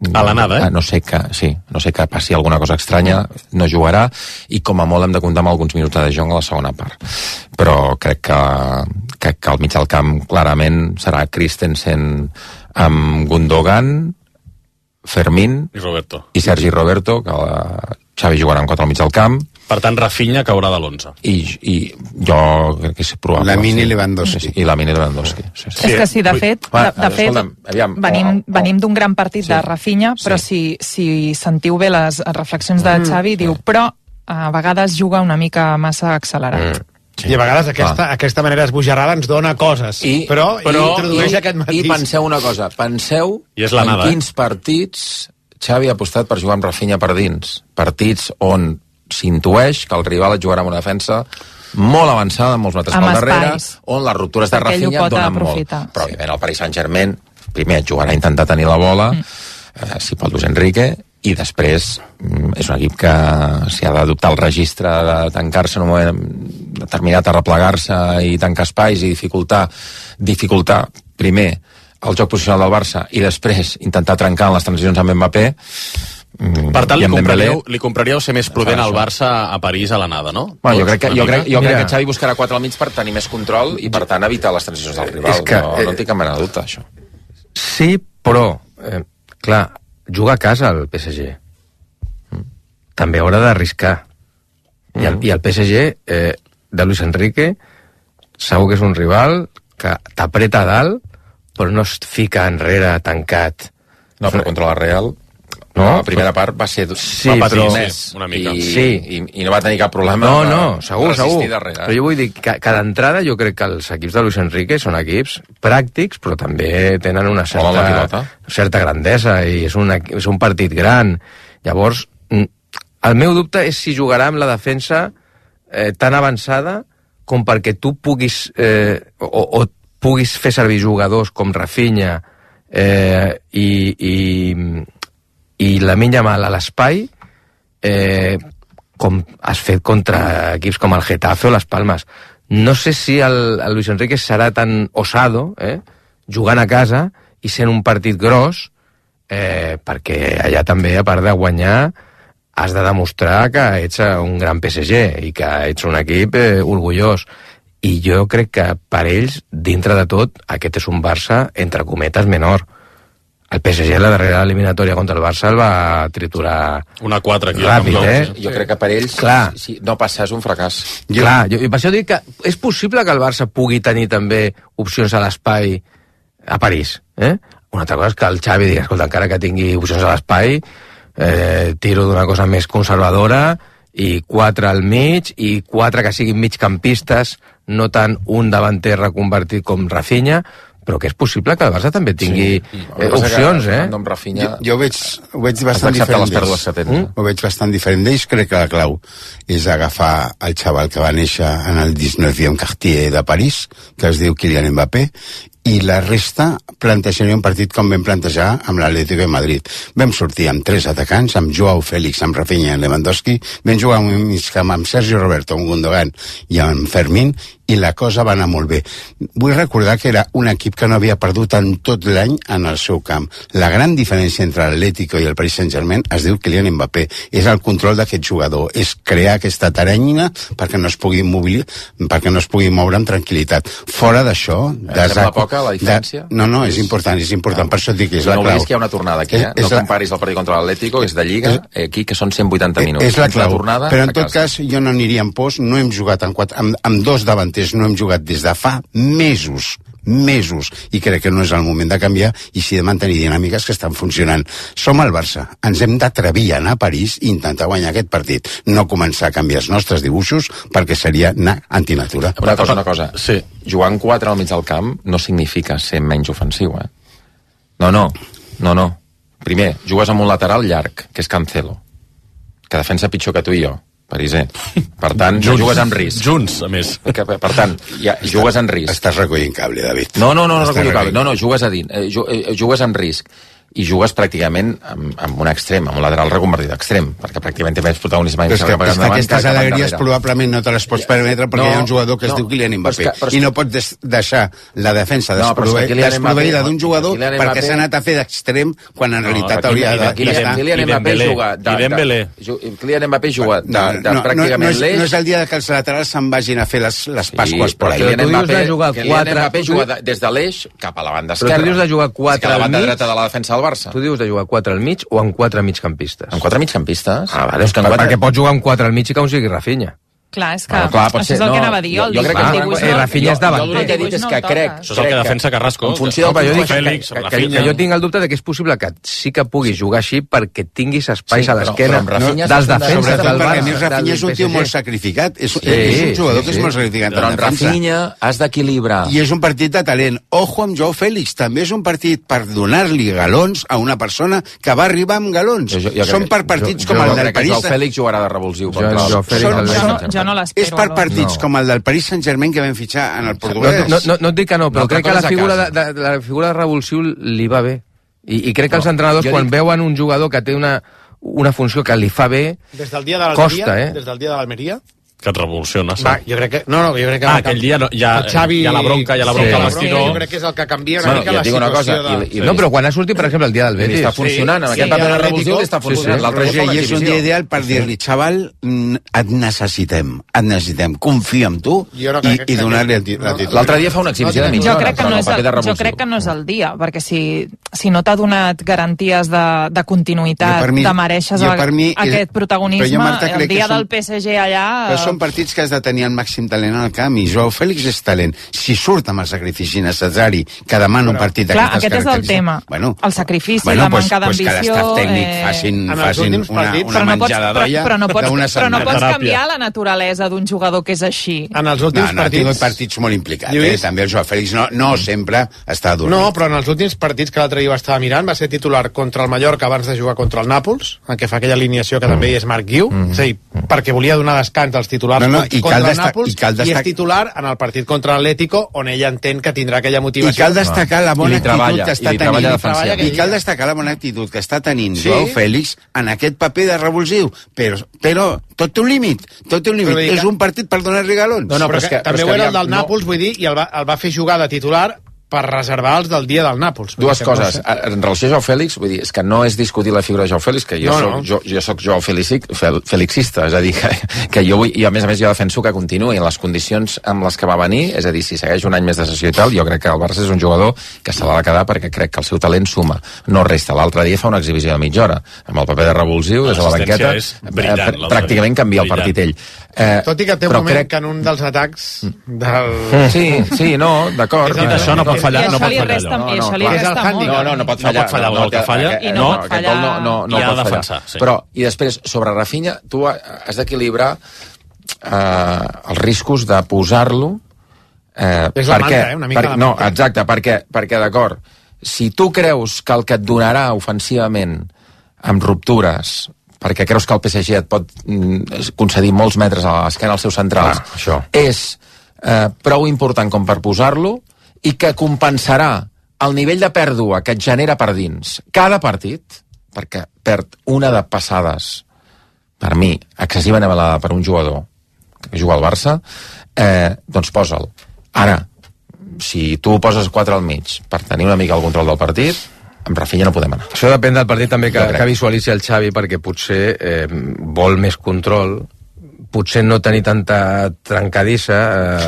A l'anada, eh? No sé que, sí, no sé que passi alguna cosa estranya, no jugarà, i com a molt hem de comptar amb alguns minuts de De Jong a la segona part. Però crec que, crec que al mig del camp clarament serà Christensen amb Gundogan, Fermín i Roberto. I Sergi Roberto, que la Xavi jugarà en quatre al mig del camp. Per tant, Rafinha caurà de l'onze. I, I jo crec que és probable. Lamine sí. i Lewandowski. Sí, I Lamine i Lewandowski. Sí, sí. És que sí, de fet, de, de fet aviam, venim, oh, oh. venim d'un gran partit Sí. de Rafinha, però Sí. si, si sentiu bé les reflexions de Xavi, diu, però a vegades juga una mica massa accelerat. Mm. Sí. I a vegades aquesta, aquesta manera esbojarrada ens dona coses, I, però, però introdueix i, aquest matís. I penseu una cosa, penseu I és l'anada, en quins partits Xavi ha apostat per jugar amb Rafinha per dins. Partits on s'intueix que el rival et jugarà amb una defensa molt avançada, molts metres Amb pel darrere, espais. on les ruptures de Perquè ell ho Rafinha pot donen aprofitar. molt. Però, òbviament, el Paris Saint-Germain, primer, jugarà a intentar tenir la bola, mm. eh, si pot Luis Enrique, i després mm, és un equip que si ha d'adoptar el registre de tancar-se en un moment determinat a replegar-se i tancar espais i dificultar, dificultar primer el joc posicional del Barça i després intentar trencar en les transicions amb Mbappé. Per tant, li compraríeu, li compraríeu ser més prudent al Barça a París a l'anada, no? Bueno, jo crec que, jo crec, jo crec Mira. que Xavi buscarà quatre al mig per tenir més control i, per tant, evitar les transicions del rival. És que, no, eh, no en tinc cap mena de dubte, això. Sí, però, eh, clar, juga a casa el P S G. També haurà d'arriscar. I, el, I el P S G, eh, de Luis Enrique, segur que és un rival que t'apreta a dalt, però no es fica enrere tancat. No, però contra la Real, no, la primera part va ser... Sí, va patir però- més, una mica. I, Sí. i, i no va tenir cap problema No, per no, segur, resistir segur. darrere. Però jo vull dir que, que d'entrada jo crec que els equips de Luis Enrique són equips pràctics, però també tenen una Volen la certa, pilota. certa grandesa i és un, equi- és un partit gran. Llavors, mm, el meu dubte és si jugarà amb la defensa eh, tan avançada com perquè tu puguis eh, o, o puguis fer servir jugadors com Rafinha eh, i, i, i Lamine Yamal a l'espai eh, com has fet contra equips com el Getafe o les Palmes. No sé si el, el Luis Enrique serà tan osado eh, jugant a casa i sent un partit gros eh, perquè allà també, a part de guanyar, has de demostrar que ets un gran P S G i que ets un equip eh, orgullós. I jo crec que per ells, dintre de tot, aquest és un Barça, entre cometes, menor. El P S G, la darrera eliminatòria contra el Barça, el va triturar una quatre aquí. ràpid, No, eh? jo crec que per ells, Clar. si no passar és un fracàs. Jo... Clar, jo, i per això dic que és possible que el Barça pugui tenir també opcions a l'espai a París, eh? Una altra cosa és que el Xavi digui, escolta, encara que tingui opcions a l'espai, eh, tiro d'una cosa més conservadora i quatre al mig i quatre que siguin migcampistes, no tant un davanter reconvertit com Rafinha, però que és possible que el Barça també tingui sí. eh, opcions, eh? Amb Rafinha... Jo, jo ho veig, ho veig Has bastant d'acceptar diferent les pèrdues que tens. d'ells. Ho veig bastant diferent d'ells. Crec que la clau és agafar el xaval que va néixer en el diecinueve Cartier de París, que es diu Kylian Mbappé, i la resta plantejaria un partit com vam plantejar amb l'Atlético de Madrid. Vam sortir amb tres atacants, amb Joao Félix, amb Rafinha i Lewandowski, vam jugar amb un migcamp amb Sergio Roberto, amb Gundogan i amb Fermín, i la cosa va anar molt bé. Vull recordar que era un equip que no havia perdut en tot l'any en el seu camp. La gran diferència entre l'Atlético i el Paris Saint-Germain es diu Kylian Mbappé. És el control d'aquest jugador, és crear aquesta teranyina perquè no es pugui mobilitzar, perquè no es pugui moure amb tranquil·litat. Fora d'això... Eh, sembla poca la diferència? De... No, no, és important, és important, per això et dic que és no la clau. No oblidis que hi ha una tornada aquí, eh? És, no és la... comparis el partit contra l'Atlético, és de Lliga, eh, aquí que són cent vuitanta minuts. És la clau, la tornada, però en tot cas jo no aniria en pos, no hem jugat en quatre, amb, amb dos davanters, no hem jugat des de fa mesos, mesos, i crec que no és el moment de canviar i sí de mantenir dinàmiques que estan funcionant. Som el Barça, ens hem d'atrevir a anar a París i intentar guanyar aquest partit, no començar a canviar els nostres dibuixos perquè seria anar antinatura. Una cosa, una cosa. Sí. Jugar en quatre al mig del camp no significa ser menys ofensiu, eh? No, no, no, no. Primer, jugues amb un lateral llarg, que és Cancelo, que defensa pitjor que tu i jo, pariser. Per tant, junts, jugues amb risc. Junts, a més. Que, per tant, ja, jugues en risc. Estàs recollint cable, David. No, no, no, no, Estàs recollo cable. recollint. No, no, jugues a dins. Eh, ju- eh, jugues en risc. I jugues pràcticament amb, amb un extrem, amb un lateral reconvertit d'extrem, perquè pràcticament té més protagonisme. Però és que, és que aquestes alegries probablement no te les pots permetre perquè No, hi ha un jugador que es no, diu Kylian però és Mbappé que- però és i que- no pots des deixar la defensa No, però és que desprove- Kylian desproveïda Mbappé- d'un jugador Kylian perquè Mbappé- s'ha anat a fer d'extrem quan en realitat aquí- hauria de- Kylian- d'estar. Kylian I Mbappé Dembélé. juga de, I Dembélé. de, ju- Kylian Mbappé juga de, No, de, de no, no, pràcticament no, és, l'eix. no és el dia que els laterals se'n vagin a fer les, les pasques per però ahí. Kylian tu dius Mbappé, de jugar Kylian quatre- Mbappé tu juga dius- de, des de l'eix cap a la banda Però tu esquerra. dius de jugar quatre És que a la al banda mig? dreta de la defensa del Barça. Tu dius de jugar quatre al mig o amb quatre migcampistes? Amb quatre migcampistes? Ah, vale, És que en per, quatre- perquè pots jugar amb quatre al mig i que un sigui Rafinha. Clar, és que Bueno, clar, pot això ser- és el no, que anava a dir. jo- El, jo crec que el no, dibuix eh, no- Rafinha és davant. Jo l'únic que he dit és que crec... Això és el que defensa Carrasco. En funció del No, però jo dic que, Fèlix, que, que, Rafinha. que jo tinc el dubte de que és possible que sí que puguis jugar així perquè tinguis espais Sí, a però- l'esquena però amb Rafinha dels està defenses Sobretot del perquè a més Barça. Rafinha és un del tio P S G. molt sacrificat, és, Sí, és un jugador sí, que és sí. molt sacrificat Però en en defensa. Rafinha has d'equilibrar. I és un partit de talent. Ojo amb Joao Félix, també és un partit per donar-li galons a una persona que va arribar amb galons. Jo- jo crec Són que- per partits jo- com jo el crec del que Joao París. Fèlix jugarà de revulsiu Jo- contra el... Joao Fèlix Són- el són- veig. Jo jo no l'espero. És per Alonso. partits No. com el del Paris Saint-Germain que vam fitxar en el portuguès. No, no, no, no et dic que no, però No, crec que que la coses a figura de, casa. de, de, la figura de revulsiu li va bé. I, i crec que No, els entrenadors, jo quan dic- veuen un jugador que té una, una funció que li fa bé, Des del dia de l'Almeria, costa, eh? des del dia de l'Almeria, Que et revoluciona, sí. va, jo crec que... No, no, jo crec que... Ah, aquell dia no, ja, el Xavi... hi ha la bronca, hi ha la bronca Sí. al Sí, vestidor. jo crec que és el que canvia una Bueno, mica i et la dic una situació cosa, de... i- i- no, però quan ha sortit, per exemple, el dia del I li Betis... està funcionant, amb sí, aquest ja paper de l'Atlético- revulsiu li està funcionant. sí. L'altre dia Roger, fa una i és un dia exhibició. ideal per dir-li, xaval, mm, et necessitem, et necessitem, confia en tu Jo no i, crec que- i donar-li el ti- no. la titular. L'altre dia fa una exhibició de mitja Jo hora. crec, que però no el és paper de el, jo revulsiu. crec que no és el dia, perquè si, si no t'ha donat garanties de, de continuïtat, Jo per mi- de mereixes jo el- per mi- aquest protagonisme, però jo, Marta, el crec que dia són- del P S G allà... Però són partits que has de tenir el màxim talent al camp i Joao Fèlix és talent. Si surt amb el sacrifici necessari que demana un partit Clar, d'aquestes aquest és el característiques... tema. Bueno, El sacrifici, bueno, la pues, manca pues que d'ambició... l'estaf tècnic eh, facin, En els facin últims una, partits, una però no pots, menjada però, d'olla però no pots, d'una però no setmana. pots Teràpia. canviar la naturalesa d'un jugador que és així. En els No, últims no, ha tingut partits... partits molt implicats, Lluís? eh? També el Joao Fèlix no, no sempre està dur. No, però en els últims partits que l'altre dia ho estava mirant va ser titular contra el Mallorca abans de jugar contra el Nàpols, en què fa aquella alineació que també hi és Marc Guiu, és a dir, perquè volia donar descans als titulars No, no, contra, i cal contra el destac- Nàpols i cal i destac- és titular en el partit contra l'Atlético, on ell entén que tindrà aquella I motivació. cal destacar la bona I li actitud treballa, que i està li treballa tenint. defensivament. I cal destacar la bona actitud que està tenint Sí. Joao Fèlix en aquest paper de revulsiu. Però, però tot té un límit, tot té un límit. Però dic És que- un partit per donar regalons. No, no, però, però és és que- que, però també és que ho era el aviam, del no- Nàpols, vull dir, i el va, el va fer jugar de titular per reservar els del dia del Nàpols. Vull Dues dir que no coses. sé. En relació a Joao Fèlix, vull dir, és que no és discutir la figura de Joao Fèlix, que jo No, soc, no. jo, jo soc Joao Felixic, fel, Felixista, és a dir, que, que jo vull, i a més a més jo defenso que continuï en les condicions amb les que va venir, és a dir, si segueix un any més de sessió i tal, jo crec que el Barça és un jugador que se l'ha de quedar perquè crec que el seu talent suma, no resta. L'altre dia fa una exhibició de mitja hora, amb el paper de revulsiu, des de la L'assistència banqueta, és brillant, eh, l'altre pràcticament dia. canvia el Brillant. partit ell. Eh, Tot i que té un però moment crec- que en un dels atacs del... Sí, sí, no, d'acord. És el- Dit això, no pot fallar, I no això pot li fallar resta, allò. i això li clar. És el resta molt. hàndicap. No, no, no pot No fallar. pot fallar el gol que té- falla. aquest- I no pot aquest gol no, no, no I ha pot de fallar. defensar, sí. Però, i després, sobre Rafinha, tu has d'equilibrar eh, els riscos de posar-lo eh, És la perquè, manca, eh, una mica per, la no, manca. exacte, perquè, perquè d'acord, si tu creus que el que et donarà ofensivament amb ruptures, perquè creus que el P S G et pot mm, concedir molts metres a l'esquena als seus centrals, Clar, això. és eh, prou important com per posar-lo i que compensarà el nivell de pèrdua que et genera per dins cada partit, perquè perd una de passades, per mi, excessivament elevada per un jugador que juga al Barça, eh, doncs posa'l. Ara, si tu poses quatre al mig per tenir una mica el control del partit, amb Rafinha no podem anar. Això depèn del partit també que, Jo crec. que visualitzi el Xavi, perquè potser eh, vol més control, potser no tenir tanta trencadissa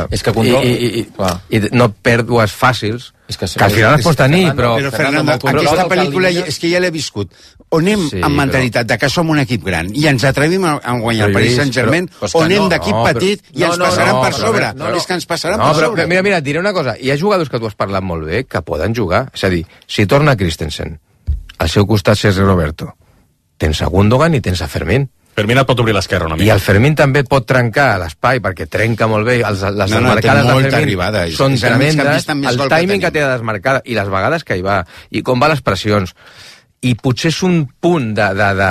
eh, És que control- i, i, i, Clar. i no pèrdues fàcils, És que, que al final es pot tenir, però... Però, Fernando, Fernando, aquesta controla pel·lícula que ja, és que ja l'he viscut. On anem Sí, amb mentalitat de que som un equip gran i ens atrevim a, a guanyar el Però, Paris Lluís, Saint-Germain, però- però és que on anem no, d'equip no, però- petit i no, ens no, passaran no, per però- sobre. no, no. És que ens passaran No, per però sobre. mira, mira, et diré una cosa. Hi ha jugadors que tu has parlat molt bé que poden jugar. És a dir, si torna Christensen, al seu costat Sergio Roberto, tens a Gundogan i tens a Fermín. Fermín et pot obrir l'esquerra una I mica. el Fermín també pot trencar l'espai, perquè trenca molt bé. Els, les No, no, desmarcades té de molta Fermín arribada. És- són és el tremendes. migcampista amb més El gol que timing que, tenim. té de desmarcada i les vegades que hi va, i com va les pressions. I potser és un punt de, de, de,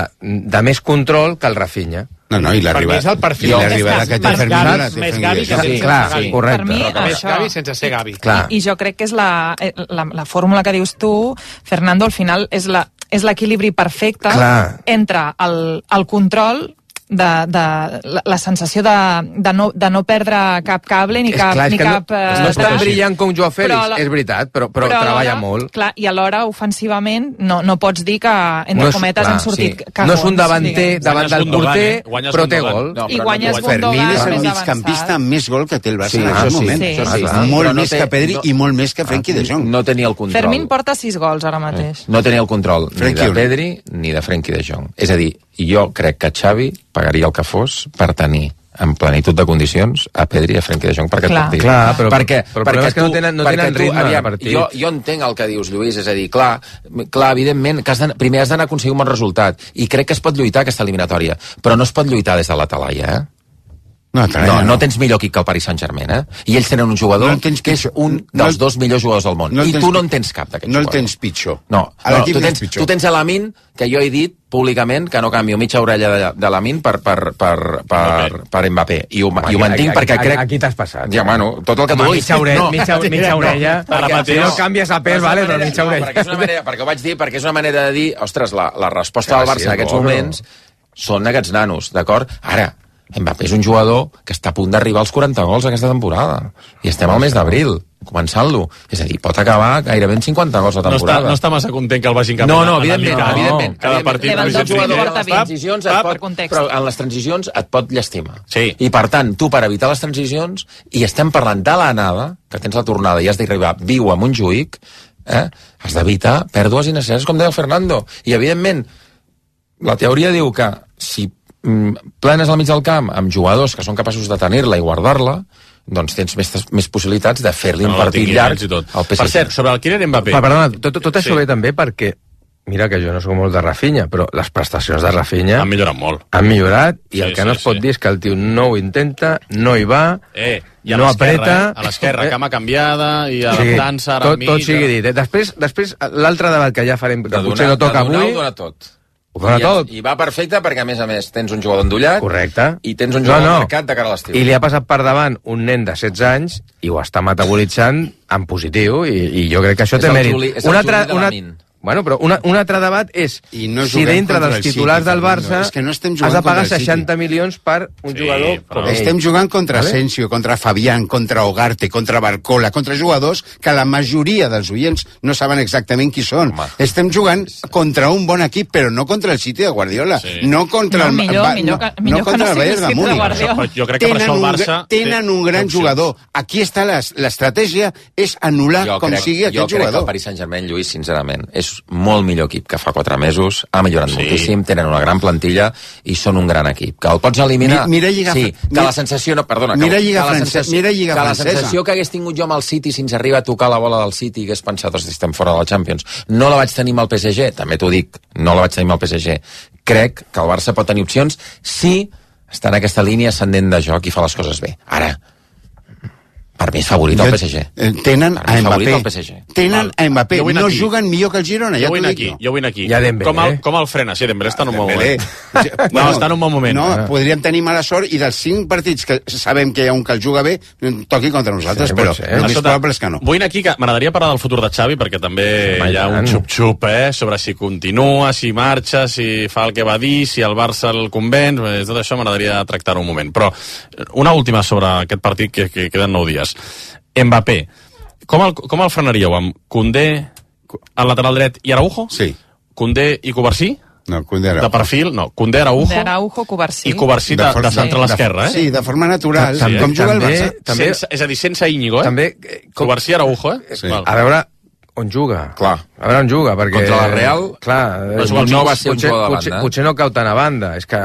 de més control que el Rafinha. No, no, i Per mi és el perfil. I l'arribada que té Més Fermín Gavi- la té més fent Gavi que guiar. sense clar, Gavi. correcte. Per mi, Més això... Gavi sense ser Gavi. Clar. I, I jo crec que és la, eh, la, la fórmula que dius tu, Fernando, al final és la és l'equilibri perfecte Clar. entre el, el control de, de la, la sensació de, de, no, de no perdre cap cable ni És cap, clar, és ni que cap no, eh, no és tan traç. brillant com Joao Fèlix, Però la- és veritat, però, però, alhora, treballa molt. Clar, i alhora, ofensivament, no, no pots dir que, entre No és- cometes, clar, han sortit sí. cagons. No és un davanter diguem. davant del Gundogan, porter, eh? Guanyes però té Gundogan. gol. No, I però guanyes no, Gundogan Fermín és el més migcampista avançat. amb més gol que té el Barça Sí, en això aquest sí, moment. sí. això sí. Ah, molt Però no més té- que Pedri no- i molt més que Frenkie de Jong. No tenia el control. Fermín porta sis gols ara mateix. No tenia el control ni Frenkie de Uri. Pedri ni de Frenkie de Jong. És a dir, jo crec que Xavi pagaria el que fos per tenir en plenitud de condicions a Pedri i a Frenkie de Jong per aquest Clar. partit. Clar, però- perquè, però el problema és que no tenen- no perquè tenen tu, ritme de aviam, partit. Jo, jo entenc el que dius, Lluís, és a dir, clar, clar evidentment, que has de, primer has d'anar a aconseguir un bon resultat, i crec que es pot lluitar aquesta eliminatòria, però no es pot lluitar des de la talaia, eh? No, no, no tens millor equip que el Paris Saint-Germain, eh? I ells tenen un jugador no que és un dels no, dos millors jugadors del món. No I tu no en tens cap d'aquests no jugadors. No el tens pitjor. No, no tu, tens, tu tens a Lamine, que jo he dit públicament que no canvio mitja orella de, de Lamine per, per, per, per, per Mbappé. I ho, Home, i ho mantinc aquí, perquè crec... Aquí t'has passat. Ja, bueno, tot el que tu vulguis. Mitja, ore... no, mitja, mitja orella. No, perquè, si no canvies a pes, vale, però mitja orella. Perquè, és una manera, perquè ho vaig dir, perquè és una manera de dir, ostres, la, la resposta del Barça en aquests moments són aquests nanos, d'acord? Ara, Mbappé és un jugador que està a punt d'arribar als quaranta gols aquesta temporada. I estem al mes d'abril, començant-lo. És a dir, pot acabar gairebé en cinquanta gols a temporada. No està, no està massa content que el vagin cap no, no, evidentment, no, evidentment. Cada partit... Transicions et pot, però en les transicions et pot llastimar. Sí. I per tant, tu per evitar les transicions, i estem parlant de l'anada, que tens la tornada i has d'arribar viu a Montjuïc, eh, has d'evitar pèrdues innecessàries, com deia el Fernando. I evidentment, la teoria diu que si plenes al mig del camp amb jugadors que són capaços de tenir-la i guardar-la, doncs tens més, més possibilitats de fer-li un partit llarg al P S G. Per cert, sobre el Kylian Mbappé... Perdona, tot, tot això sí. Ve també perquè, mira que jo no soc molt de Rafinha, però les prestacions de Rafinha... Han millorat molt. Han millorat, i sí, el que sí, no es pot sí. dir és que el tio no ho intenta, no hi va, eh, i a no apreta... Eh? A l'esquerra, eh? Cama canviada, i adaptant-se sí, ara tot, tot sigui dit. Eh? Després, després l'altre debat que ja farem, que potser no toca avui... De donar, tot. Ho dona I, tot. I va perfecte perquè, a més a més, tens un jugador endollat. Correcte. I tens un jugador no, no. al mercat de cara a l'estiu. I li ha passat per davant un nen de setze anys i ho està metabolitzant en positiu, i, i jo crec que això és té mèrit. Juli, és un altre, una, bueno, però una, un altre debat és no si dintre dels titulars del Barça és que no has de pagar seixanta milions per un sí, jugador... Però... Estem jugant contra ¿vale? Asensio, contra Fabián, contra Ugarte, contra Barcola, contra jugadors que la majoria dels oients no saben exactament qui són. Home. Estem jugant contra un bon equip, però no contra el City de Guardiola. Sí. No contra no, el... Millor, va, millor, no, millor no contra no el Bayern de Múnich. Jo crec que per això el Barça... Tenen un gran jugador. Aquí està l'estratègia, és anul·lar com crec, sigui aquest jugador. Jo crec que el Paris Saint-Germain, Lluís, sincerament, és molt millor equip que fa quatre mesos, ha millorat sí. moltíssim, tenen una gran plantilla i són un gran equip. Que el pots eliminar... Mi, mira Lliga... Sí, que mira, la sensació... No, perdona, mira que, Lliga que, la francesa, sensació, mira Lliga que la francesa. sensació que hagués tingut jo amb el City si ens arriba a tocar la bola del City i hagués pensat, ostres, estem fora de la Champions. No la vaig tenir amb el P S G, també t'ho dic, no la vaig tenir amb el P S G. Crec que el Barça pot tenir opcions si està en aquesta línia ascendent de joc i fa les coses bé. Ara, per mi és favorit el P S G. Tenen a Mbappé. P S G. Tenen a Mbappé. No aquí. Juguen millor que el Girona, ja t'ho dic. Aquí, no. Jo vull aquí. Ja Dembélé. Com el, com el frena? Sí, Dembélé està en un bon moment. bueno, no, està en un bon moment. No, podríem tenir mala sort i dels cinc partits que sabem que hi ha un que el juga bé, toqui contra nosaltres, sí, però el més probable és que no. Vull aquí que m'agradaria parlar del futur de Xavi, perquè també sí, hi ha un xup-xup, eh, sobre si continua, si marxa, si fa el que va dir, si el Barça el convenç, tot això m'agradaria tractar un moment. Però una última sobre aquest partit, que, que queden nou dies. Mbappé, com el, com el frenaríeu? Amb Koundé al lateral dret i Araujo? Sí. Koundé i Covarsí? No, Koundé Araujo. De perfil? No, Koundé Araujo. Koundé Araujo, Covarsí. I Covarsí de, de, de centre a l'esquerra, eh? Sí, de forma natural. Sí, com juga el Barça. També, sense, és a dir, sense Íñigo, eh? També, com... Covarsí Araujo, eh? Sí. A veure on juga. Clar. A veure on juga, perquè... Contra la Real, clar, no, no va ser potser, un de banda. Potser, potser no cau tant a banda. És que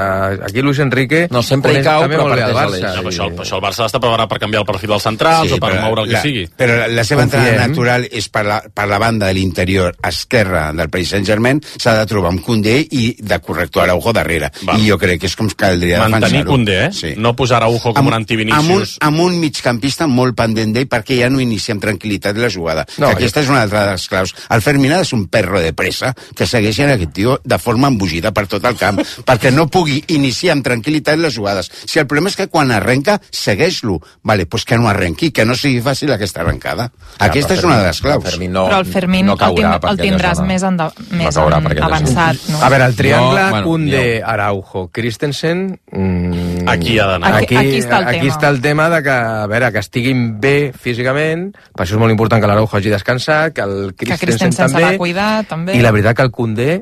aquí Luis Enrique... No, sempre hi cau, però parteix a l'Eix. No, però això, això el Barça està preparat per canviar el perfil dels centrals sí, o per moure el que la, sigui. Però la seva entrada natural és per la, per la banda de l'interior esquerra del Paris Saint-Germain, s'ha de trobar amb Koundé i de corrector Araujo darrere. Va. I jo crec que és com caldria defensar-ho. Mantenir Koundé, eh? Sí. No posar Araujo com amb, un antivinicius. Amb un, amb un migcampista molt pendent d'ell perquè ja no inicia amb tranquil·litat la jugada. No, aquesta ja. és una altra de les claus. El Fermín és un perro de pressa que segueixen aquest tio de forma embogida per tot el camp, perquè no pugui iniciar amb tranquil·litat les jugades. Si el problema és que quan arrenca, segueix-lo. Vale, pues que no arrenqui, que no sigui fàcil aquesta arrencada. Ja, aquesta és Fermín, una de les claus. Fermín no, però el Fermín no caurà el, el tindràs més, enda, més no caurà avançat. No? A veure, el triangle no, bueno, Koundé, Araujo, Christensen... Mm, aquí ha d'anar. Aquí, aquí, aquí, està el aquí està el tema de que, a veure, que estiguin bé físicament, per això és molt important que l'Araujo hagi descansat, que el Christensen, que Christensen també... Cuidar, també. I la veritat que el Koundé,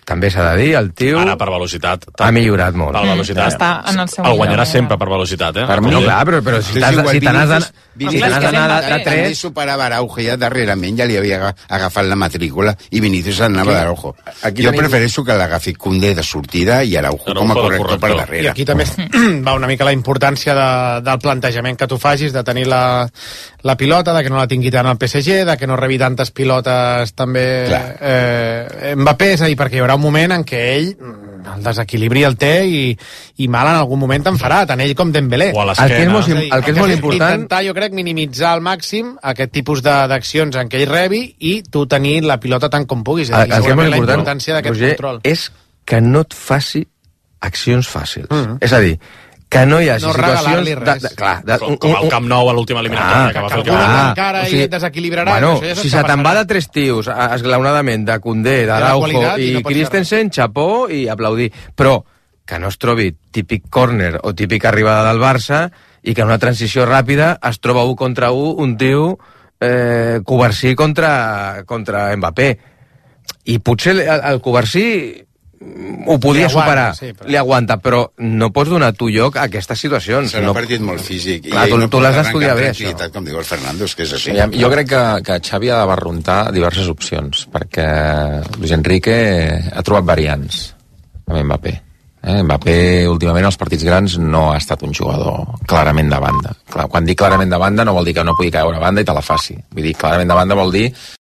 també s'ha de dir, el tio... Ara, per velocitat. Ha millorat molt. Per velocitat. Està en el seu el guanyarà millor. sempre per velocitat, eh? Per mi, no, clar, però, però si t'has d'anar si de tres... També superava Araujo ja darrerament, ja li havia agafat la matrícula i Vinícius anava d'Araujo. Jo prefereixo que l'agafi Koundé de sortida i Araujo com a corrector per darrere. I aquí també va una mica la importància de, del plantejament que tu facis, de tenir la, la pilota, de que no la tingui tant el P S G, de que no rebi tantes pilotes també eh, Mbappé, és a dir, perquè hi haurà un moment en què ell el desequilibri el té i, i mal en algun moment te'n farà, tant ell com Dembélé. O a El que és molt, És a dir, el que és molt important... Intentar, jo crec, minimitzar al màxim aquest tipus de- d'accions en què ell rebi i tu tenir la pilota tant com puguis. El, el que és molt segurament la important, importància d'aquest Roger, control. és que no et faci accions fàcils. Mhm. És a dir, que no hi hagi No situacions... regalar-li De, res. de, clar, de, Com, com el Camp Nou a l'última eliminatòria que va fer el algú Camp Nou. encara i et desequilibrarà, Bueno, això ja si s'està se te'n va passant. de tres tios a- esglaonadament, de Koundé, la d'Araujo qualitat i i no pots fer Christensen, xapó i aplaudir. Però que no es trobi típic córner o típica arribada del Barça i que en una transició ràpida es troba un contra un un tio eh, Covarsí contra, contra Mbappé. I potser el, el Covarsí ho podia Li aguanta, superar, sí, però- li aguanta, però no pots donar tu lloc a aquestes situacions. Serà no, un partit molt físic. Clar, ell tu, no tu pot l'has arrencar d'estudiar amb bé, tranquil·litat, com diu el Fernando, és que és així. Sí, jo crec que, que Xavi ha de barruntar diverses opcions, perquè Luis Enrique ha trobat variants amb Mbappé. Eh? Mbappé, últimament, als partits grans, no ha estat un jugador clarament de banda. Clar, quan dic clarament de banda no vol dir que no pugui caure a banda i te la faci. Vull dir, clarament de banda vol dir